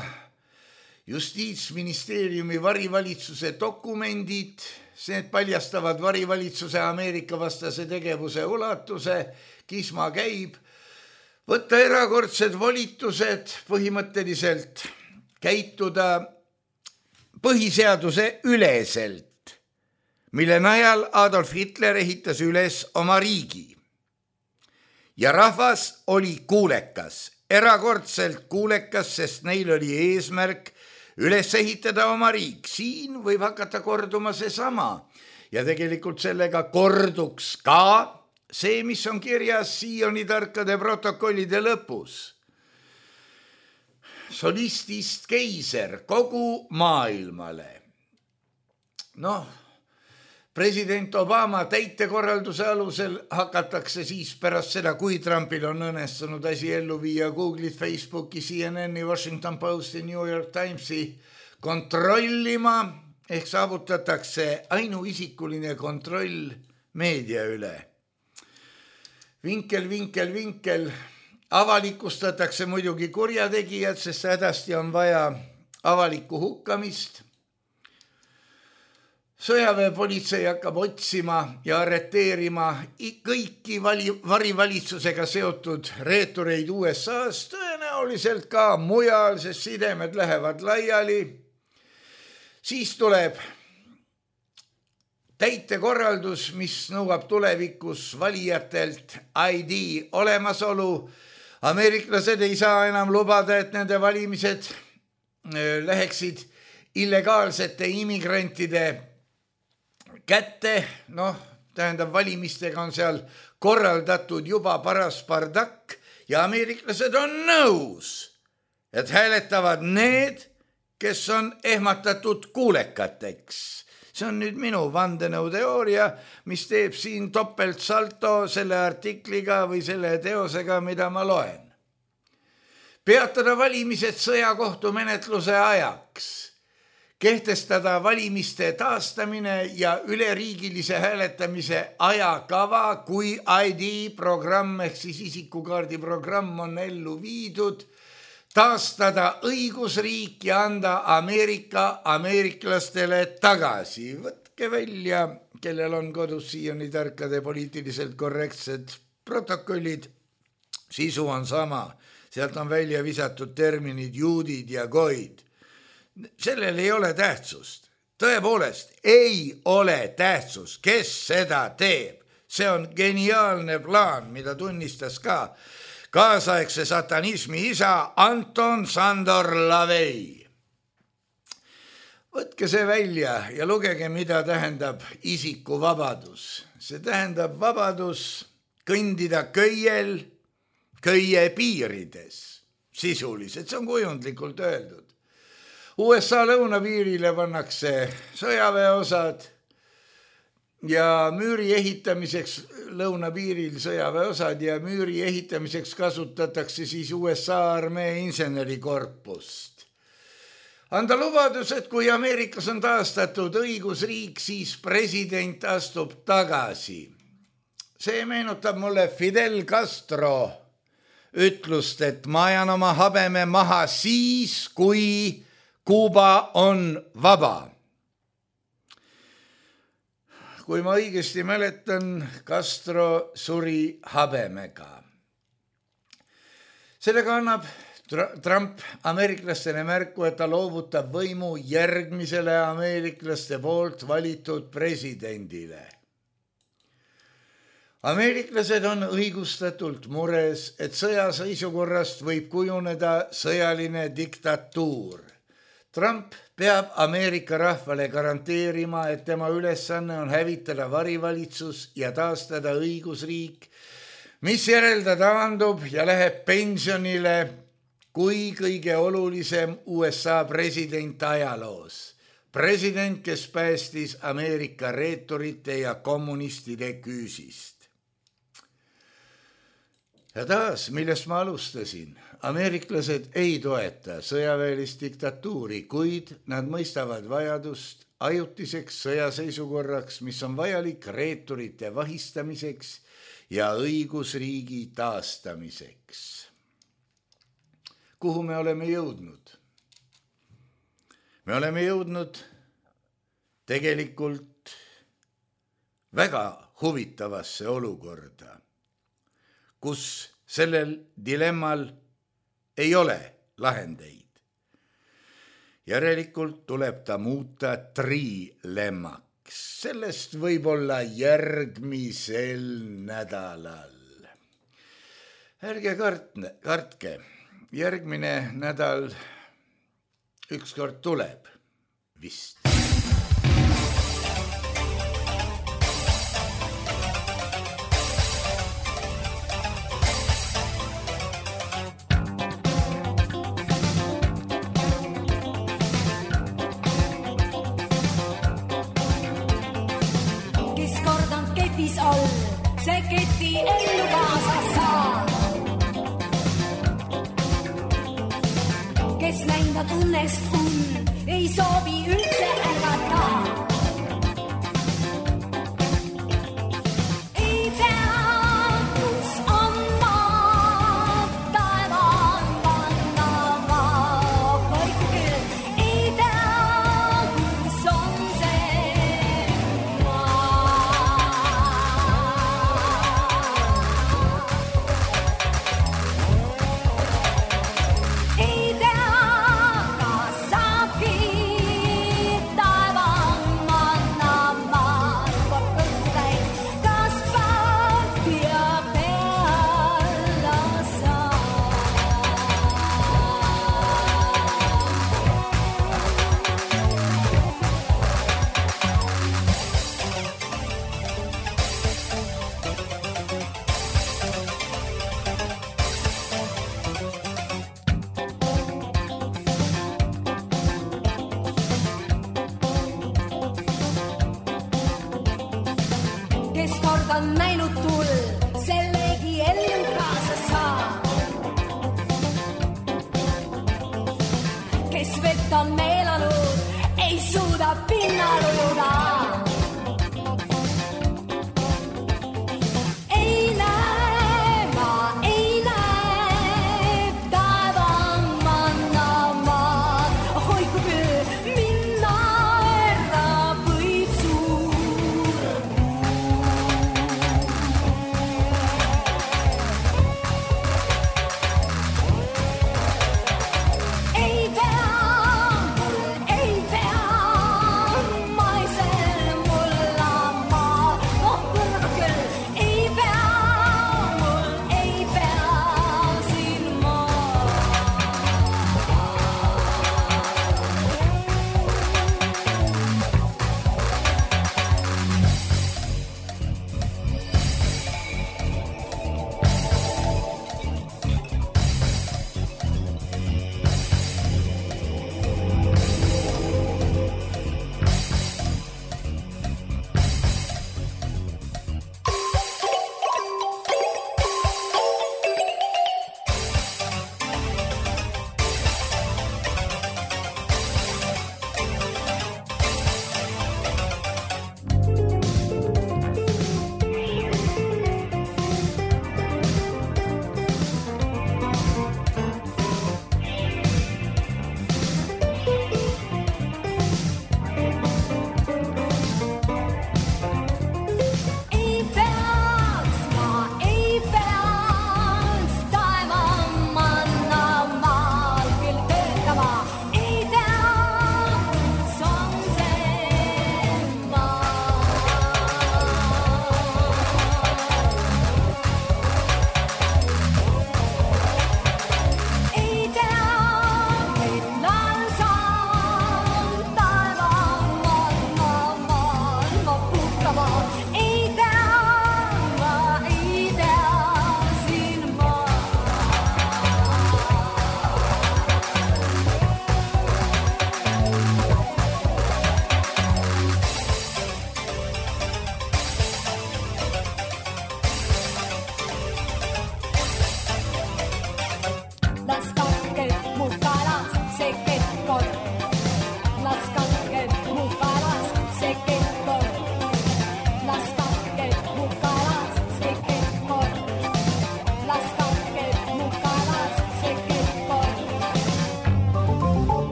C: Justiitsministeeriumi varivalitsuse dokumendid, see paljastavad varivalitsuse Ameerika vastase tegevuse ulatuse, kisma käib, võtta erakordsed volitused, põhimõtteliselt käituda põhiseaduse üleselt, mille najal Adolf Hitler ehitas üles oma riigi. Ja rahvas oli kuulekas, erakordselt kuulekas, sest neil oli eesmärk üles ehitada oma riik. Siin võib hakata korduma see sama ja tegelikult sellega korduks ka see, mis on kirjas Sioni tarkade protokollide lõpus. Solistist keiser kogu maailmale. Noh, president Obama täitekorralduse alusel hakatakse siis pärast seda, kui Trumpil on õnnestunud asi ellu viia Google'it, Facebooki, C N N-i, Washington Posti, New York Timesi kontrollima, ehk saavutatakse ainuisikuline kontroll meedia üle. Vinkel, vinkel, vinkel, avalikustatakse muidugi kurjategijad, sest hädasti on vaja avalikku hukkamist. Sõjaväepolitsei hakkab otsima ja arreteerima kõiki vali, varivalitsusega seotud reetureid U S A-s, tõenäoliselt ka mujal, sest sidemed lähevad laiali. Siis tuleb täitekorraldus, mis nõuab tulevikus valijatelt I D olemasolu. Ameeriklased ei saa enam lubada, et nende valimised läheksid illegaalsete immigrantide kätte, noh, tähendab, valimistega on seal korraldatud juba paras bardakk ja ameeriklased on nõus, et hääletavad need, kes on ehmatatud kuulekateks. See on nüüd minu vandenõuteooria, mis teeb siin topeltsalto selle artikliga või selle teosega, mida ma loen. Peatada valimised sõjakohtumenetluse ajaks. Kehtestada valimiste taastamine ja üleriigilise hääletamise ajakava, kui I D-programm ehk siis isikukaardiprogramm on ellu viidud, taastada õigusriik ja anda Ameerika ameeriklastele tagasi. Võtke välja, kellel on kodus Sioni tarkade poliitiliselt korrektsed protokollid sisu on sama, sealt on välja visatud terminid juudid ja goid. Sellel ei ole tähtsust, tõepoolest ei ole tähtsust, kes seda teeb. See on geniaalne plaan, mida tunnistas ka kaasaegse satanismi isa Anton Sandor Lavey. Võtke see välja ja lugege, mida tähendab isikuvabadus. See tähendab vabadus kõndida köiel, köie piirides, sisuliselt, see on kujundlikult öeldud. U S A lõunapiirile pannakse sõjaväeosad ja müüri ehitamiseks lõunapiiril sõjaväeosad ja müüri ehitamiseks kasutatakse siis U S A armee insenerikorpust. Anda lubadus, et kui Ameerikas on taastatud õigusriik, siis president astub tagasi. See meenutab mulle Fidel Castro ütlust, et ma ajan oma habeme maha siis, kui Kuuba on vaba. Kui ma õigesti mäletan, Castro suri habemega. Sellega annab Trump ameeriklastele märku, et ta loovutab võimu järgmisele ameeriklaste poolt valitud presidendile. Ameeriklased on õigustatult mures, et sõjaseisukorrast võib kujuneda sõjaline diktatuur. Trump peab Ameerika rahvale garanteerima, et tema ülesanne on hävitada varivalitsus ja taastada õigusriik, mis järelda taandub ja läheb pensionile kui kõige olulisem U S A president ajaloos. President, kes päästis Ameerika reeturite ja kommunistide küüsist. Ja taas, millest ma alustasin, ameeriklased ei toeta sõjaväelist diktatuuri, kuid nad mõistavad vajadust ajutiseks sõjaseisukorraks, mis on vajalik reeturite vahistamiseks ja õigusriigi taastamiseks. Kuhu me oleme jõudnud? Me oleme jõudnud tegelikult väga huvitavasse olukorda, kus sellel dilemmal ei ole lahendeid. Järelikult tuleb ta muuta trilemmaks. Sellest võib olla järgmisel nädalal. Ärge kartne, kartke. Järgmine nädal ükskord tuleb vist.
D: Kes kord on ketis all, see keti ellu kaasa saa. Kes näinda tunnest un, ei soovi üldse ärgata. Ei tea, kus on maa, taeva on vanna maa. Kõik küll, ei tea, kus on see maa. Ei tea, on näinud tull, sellegi ellu kaasa saa. Kes vett on meelanud, ei suuda pinnal ujuda. Ei näe, ma ei näe, taeva on manna maa. Hoiku küll, minna ära võib suur.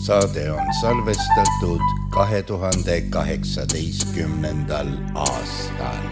C: saade on salvestatud kahe tuhande kaheksateistkümnendal aastal.